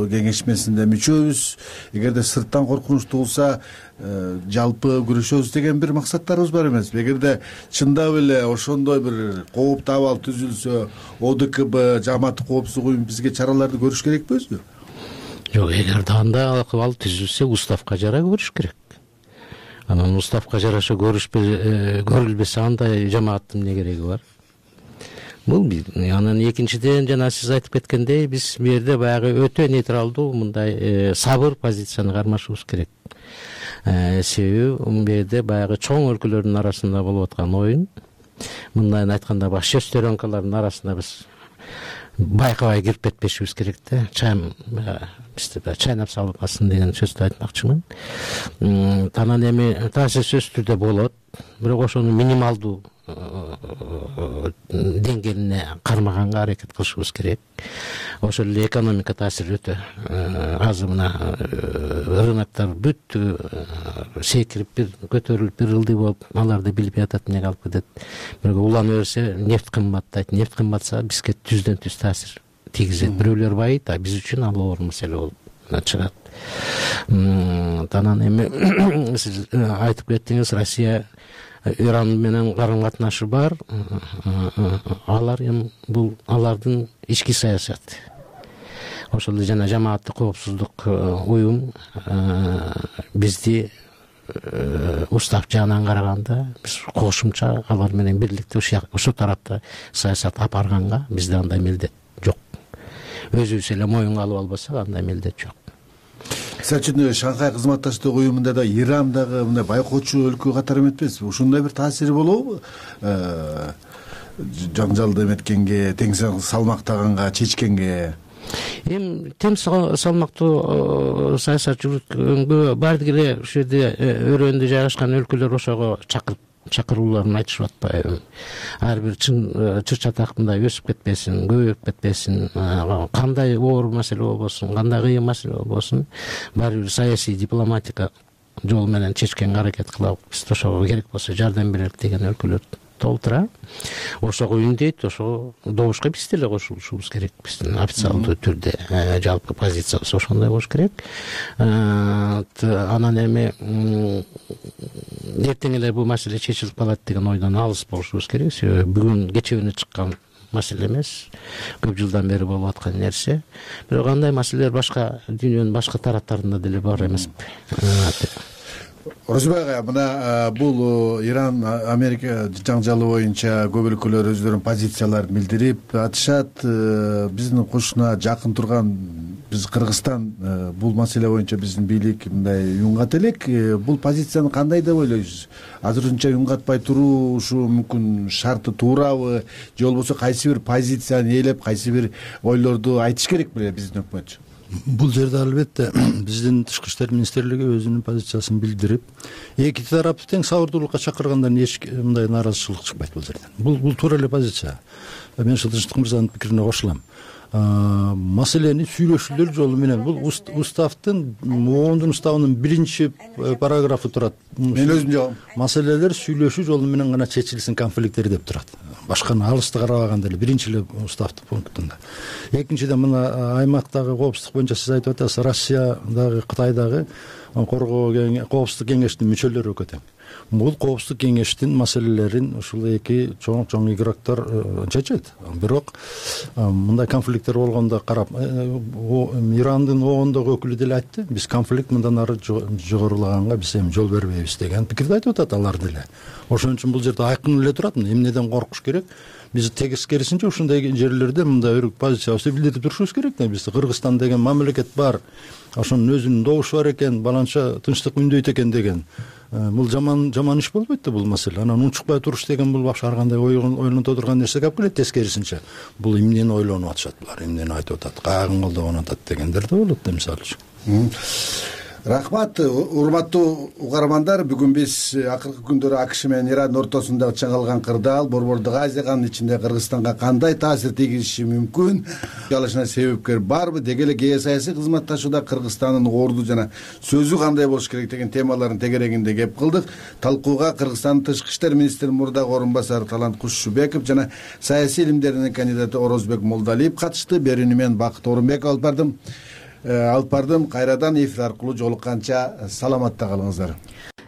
кеңешмесинде мүчөбүз. Эгерде сырттан коркунуч туулса жалпы күрөшөбүз деген бир максаттарыбыз бар эмеспи? Эгерде чындап эле ошондой бир кооптуу абал түзүлсө, ОДКБ, жамааттык коопсуздук уюму бизге чараларды көрүш керекпи өзү? Жок, эгерде андай абал түзүлсө, уставка жараша көрүш керек. Анан уставка жараша көрүлбөсө андай жамааттын эмне кереги бар? Бул бир. Анан экинчиден, жана сиз айтып кеткендей, биз бу жерде баягы өтө нейтралдуу, мындай сабыр позицияны кармашыбыз керек. Себеби бу жерде баягы чоң өлкөлөрдүн арасында болуп аткан оюн. Мындайын айтканда, баш шестеренкалардын арасында биз байкабай кирип кетпешибиз керек да. Бизде чайнап салбасын деген сөздү айтмакчымын. Анан эми таасир сөзсүз түрдө болот, бирок ошону минималдуу деңгээлине кармаганга аракет кылышыбыз керек. Ошол эле экономика таасири өтө аз, мына рыноктор бүт секирип, бир көтөрүлүп, бир ылдый болуп, аларды билбей атат, эмнеге алып кетет. Бирок улана берсе нефть кымбаттайт, нефть кымбатса бизге түздөн түз таасир тийгизет. Бирөөлөр байыйт, а биз үчүн ал оор маселе болуп чыгат. Анан эми сиз айтып кеттиңиз, Россия Иран менен карым катнашы бар. Алар эми бул алардын ички саясаты. Ошол эле жана жамааттык коопсуздук уюм бизди устав жагынан караганда биз кошумча алар менен бирликте ушул тарапта саясат алып барганга бизде андай милдет жок. Өзүбүз эле моюнга алып албасак андай милдет жок. Мисалы үчүн Шанхай кызматташтык уюмунда да Иран дагы мындай байкоочу өлкө катары эметпесби? Ушундай бир таасири болобу? Жаңжалды эметкенге, тең салмактаганга, чечкенге. Эми тең салмактуу саясат жүргүзгөнгө баардык эле ушул жерде өрөөндө жайгашкан өлкөлөр ошого чакырууларын айтышып атпайбы? Ар бир чыр-чатак мындай өсүп кетпесин, көбөйүп кетпесин, кандай оор маселе болбосун, кандай кыйын маселе болбосун, баары бир саясий дипломатика жолу менен чечкенге аракет кылабыз. Биз ошого керек болсо жардам берелик деген өлкөлөр толтура. Ошого үндейт, ошого добушка биз деле кошулушубуз керек. Биздин официалдуу түрдө жалпы позициябыз ошондой болуш керек. Анан эми эртең эле бул маселе чечилип калат деген ойдон алыс болушубуз керек. Себеби бүгүн кечээ чыккан маселе эмес, көп жылдан бери болуп аткан нерсе. Бирок андай маселелер башка дүйнөнүн башка тараптарында деле бар эмеспи? Орозбай ага, мына бул Иран Америка жаңжалы боюнча көп өлкөлөр өздөрүнүн позицияларын билдирип атышат. Биздин кошуна жакын турган биз Кыргызстан бул маселе боюнча биздин бийлик мындай юнгат элек. Бул позицияны кандай деп ойлойсуз? Азырынча юнгатпай туруу ушу мүмкүн шарты туурабы, же болбосо кайсы бир позицияны ээлеп, кайсы бир ойлорду айтыш керек беле биздин өкмөт? Бул жерде албетте биздин Тышкы иштер министрлиги өзүнүн позициясын билдирип, эки тарапты тең сабырдуулукка чакыргандан эч мындай нааразычылык чыкпайт бул жерден. Бул туура эле позиция. Мен Тынчтык мырзанын пикирине кошулам. Маселени сүйлөшүүлөр жолу менен, бул уставдын, оондун уставынын 1-параграфы турат. Мен өзүм жагам. Маселелер сүйлөшүү жолу менен гана чечилсин конфликттер деп турат. Башканы алысты карабаганда эле биринчи эле уставдын пунктунда. Экинчиден, мына аймактагы коопсуздук боюнча сиз айтып атасыз, Россия дагы, Кытай дагы коопсуздук кеңештин мүчөлөрү экөө тең. Бул коопсуздук кеңештин маселелерин ушул эки чоң игроктор чечет. Бирок мындай конфликттер болгондо карап, Ирандын оондогу өкүлү деле айтты, биз конфликт мындан ары жогорулаганга биз эми жол бербейбиз деген пикирди айтып атат алар деле. Ошон үчүн бул жерде айкын эле турат, эмнеден коркуш керек? Биз тескерисинче ушундай жерлерде мындай позициябызды билдирип турушубуз керек да. Бизде Кыргызстан деген мамлекет бар, ошонун өзүнүн добушу бар экен, баланча тынчтык үндөйт экен деген. Бул жаман иш болбойт да бул маселе. Анан унчукпай туруш деген бул башка ар кандай ойлонто турган нерсе калып келет. Тескерисинче бул эмнени ойлонуп атышат булар, эмнени айтып атат, каагын колдогон атат дегендер да болот да, мисалы үчүн. Рахмат, урматтуу угармандар. Бүгүн биз акыркы күндөрү АКШ менен Ирандын ортосунда чыңалган кырдаал Борбордук Азияга, анын ичинде Кыргызстанга кандай таасир тийгизиши мүмкүн, жалышына себепкер барбы, деги эле геосаясий кызматташууда Кыргызстандын орду жана сөзү кандай болуш керек деген темалардын тегерегинде кеп кылдык. Талкууга Кыргызстандын тышкы иштер министринин мурдагы орун басары Талант Кушубеков жана саясий илимдердин кандидаты Орозбек Молдалиев катышты. Берүүнү мен Бакыт Орунбеков алып бардым. Кайрадан эфир аркылуу жолукканча саламатта калыңыздар.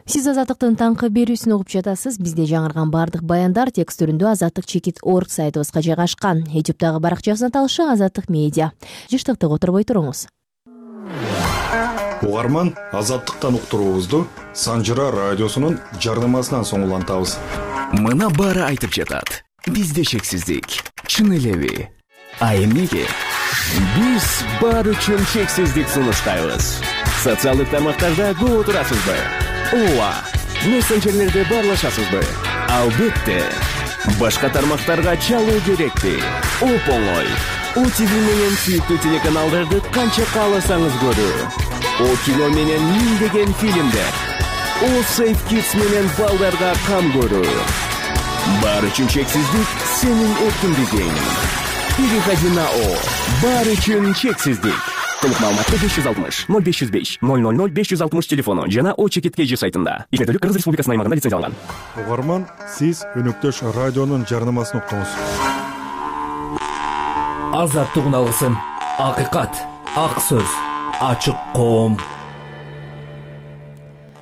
Сиз Азаттыктын таңкы берүүсүн угуп жатасыз. Бизде жаңырган баардык баяндар текст түрүндө azattik.org сайтыбызга жайгашкан. YouTube'дагы баракчасына талышы Азаттык медиа. Жыштыктык отурбой туруңуз. Угарман, Азаттыктан уктуруубузду Санжыра радиосунун жарнамасынан соң улантабыз. Мына баары айтып жатат. Бизде шексиздик. Чын элеби? А эмнеге? Биз бар үчүн чексиздик сунуштайбыз. Социалдык тармактарда көп отурасызбы? Ооба. Мессенджерлерде баарлашасызбы? Албетте. Башка тармактарга чалуу керекпи? Оп-оңой. ОТВ менен сүйүктүү телеканалдарды канча кааласаңыз көрүү. О кино менен миңдеген фильмдер. О Safe Kids менен балдарга кам көрүү. Бар үчүн чексиздик сенин эркиндигиң. Переходи на О. Бар үчүн чексиздик. Толук маалыматты 560 0505 000 560 телефону жана О Чекит.kg сайтында. Измердүүлүк Кыргыз Республикасынын аймагында лицензияланган. Угарман, сиз өнөктөш радионун жарнамасын уктуңуз. Азаттык үн алгысын. Акыйкат, ак сөз, ачык коом.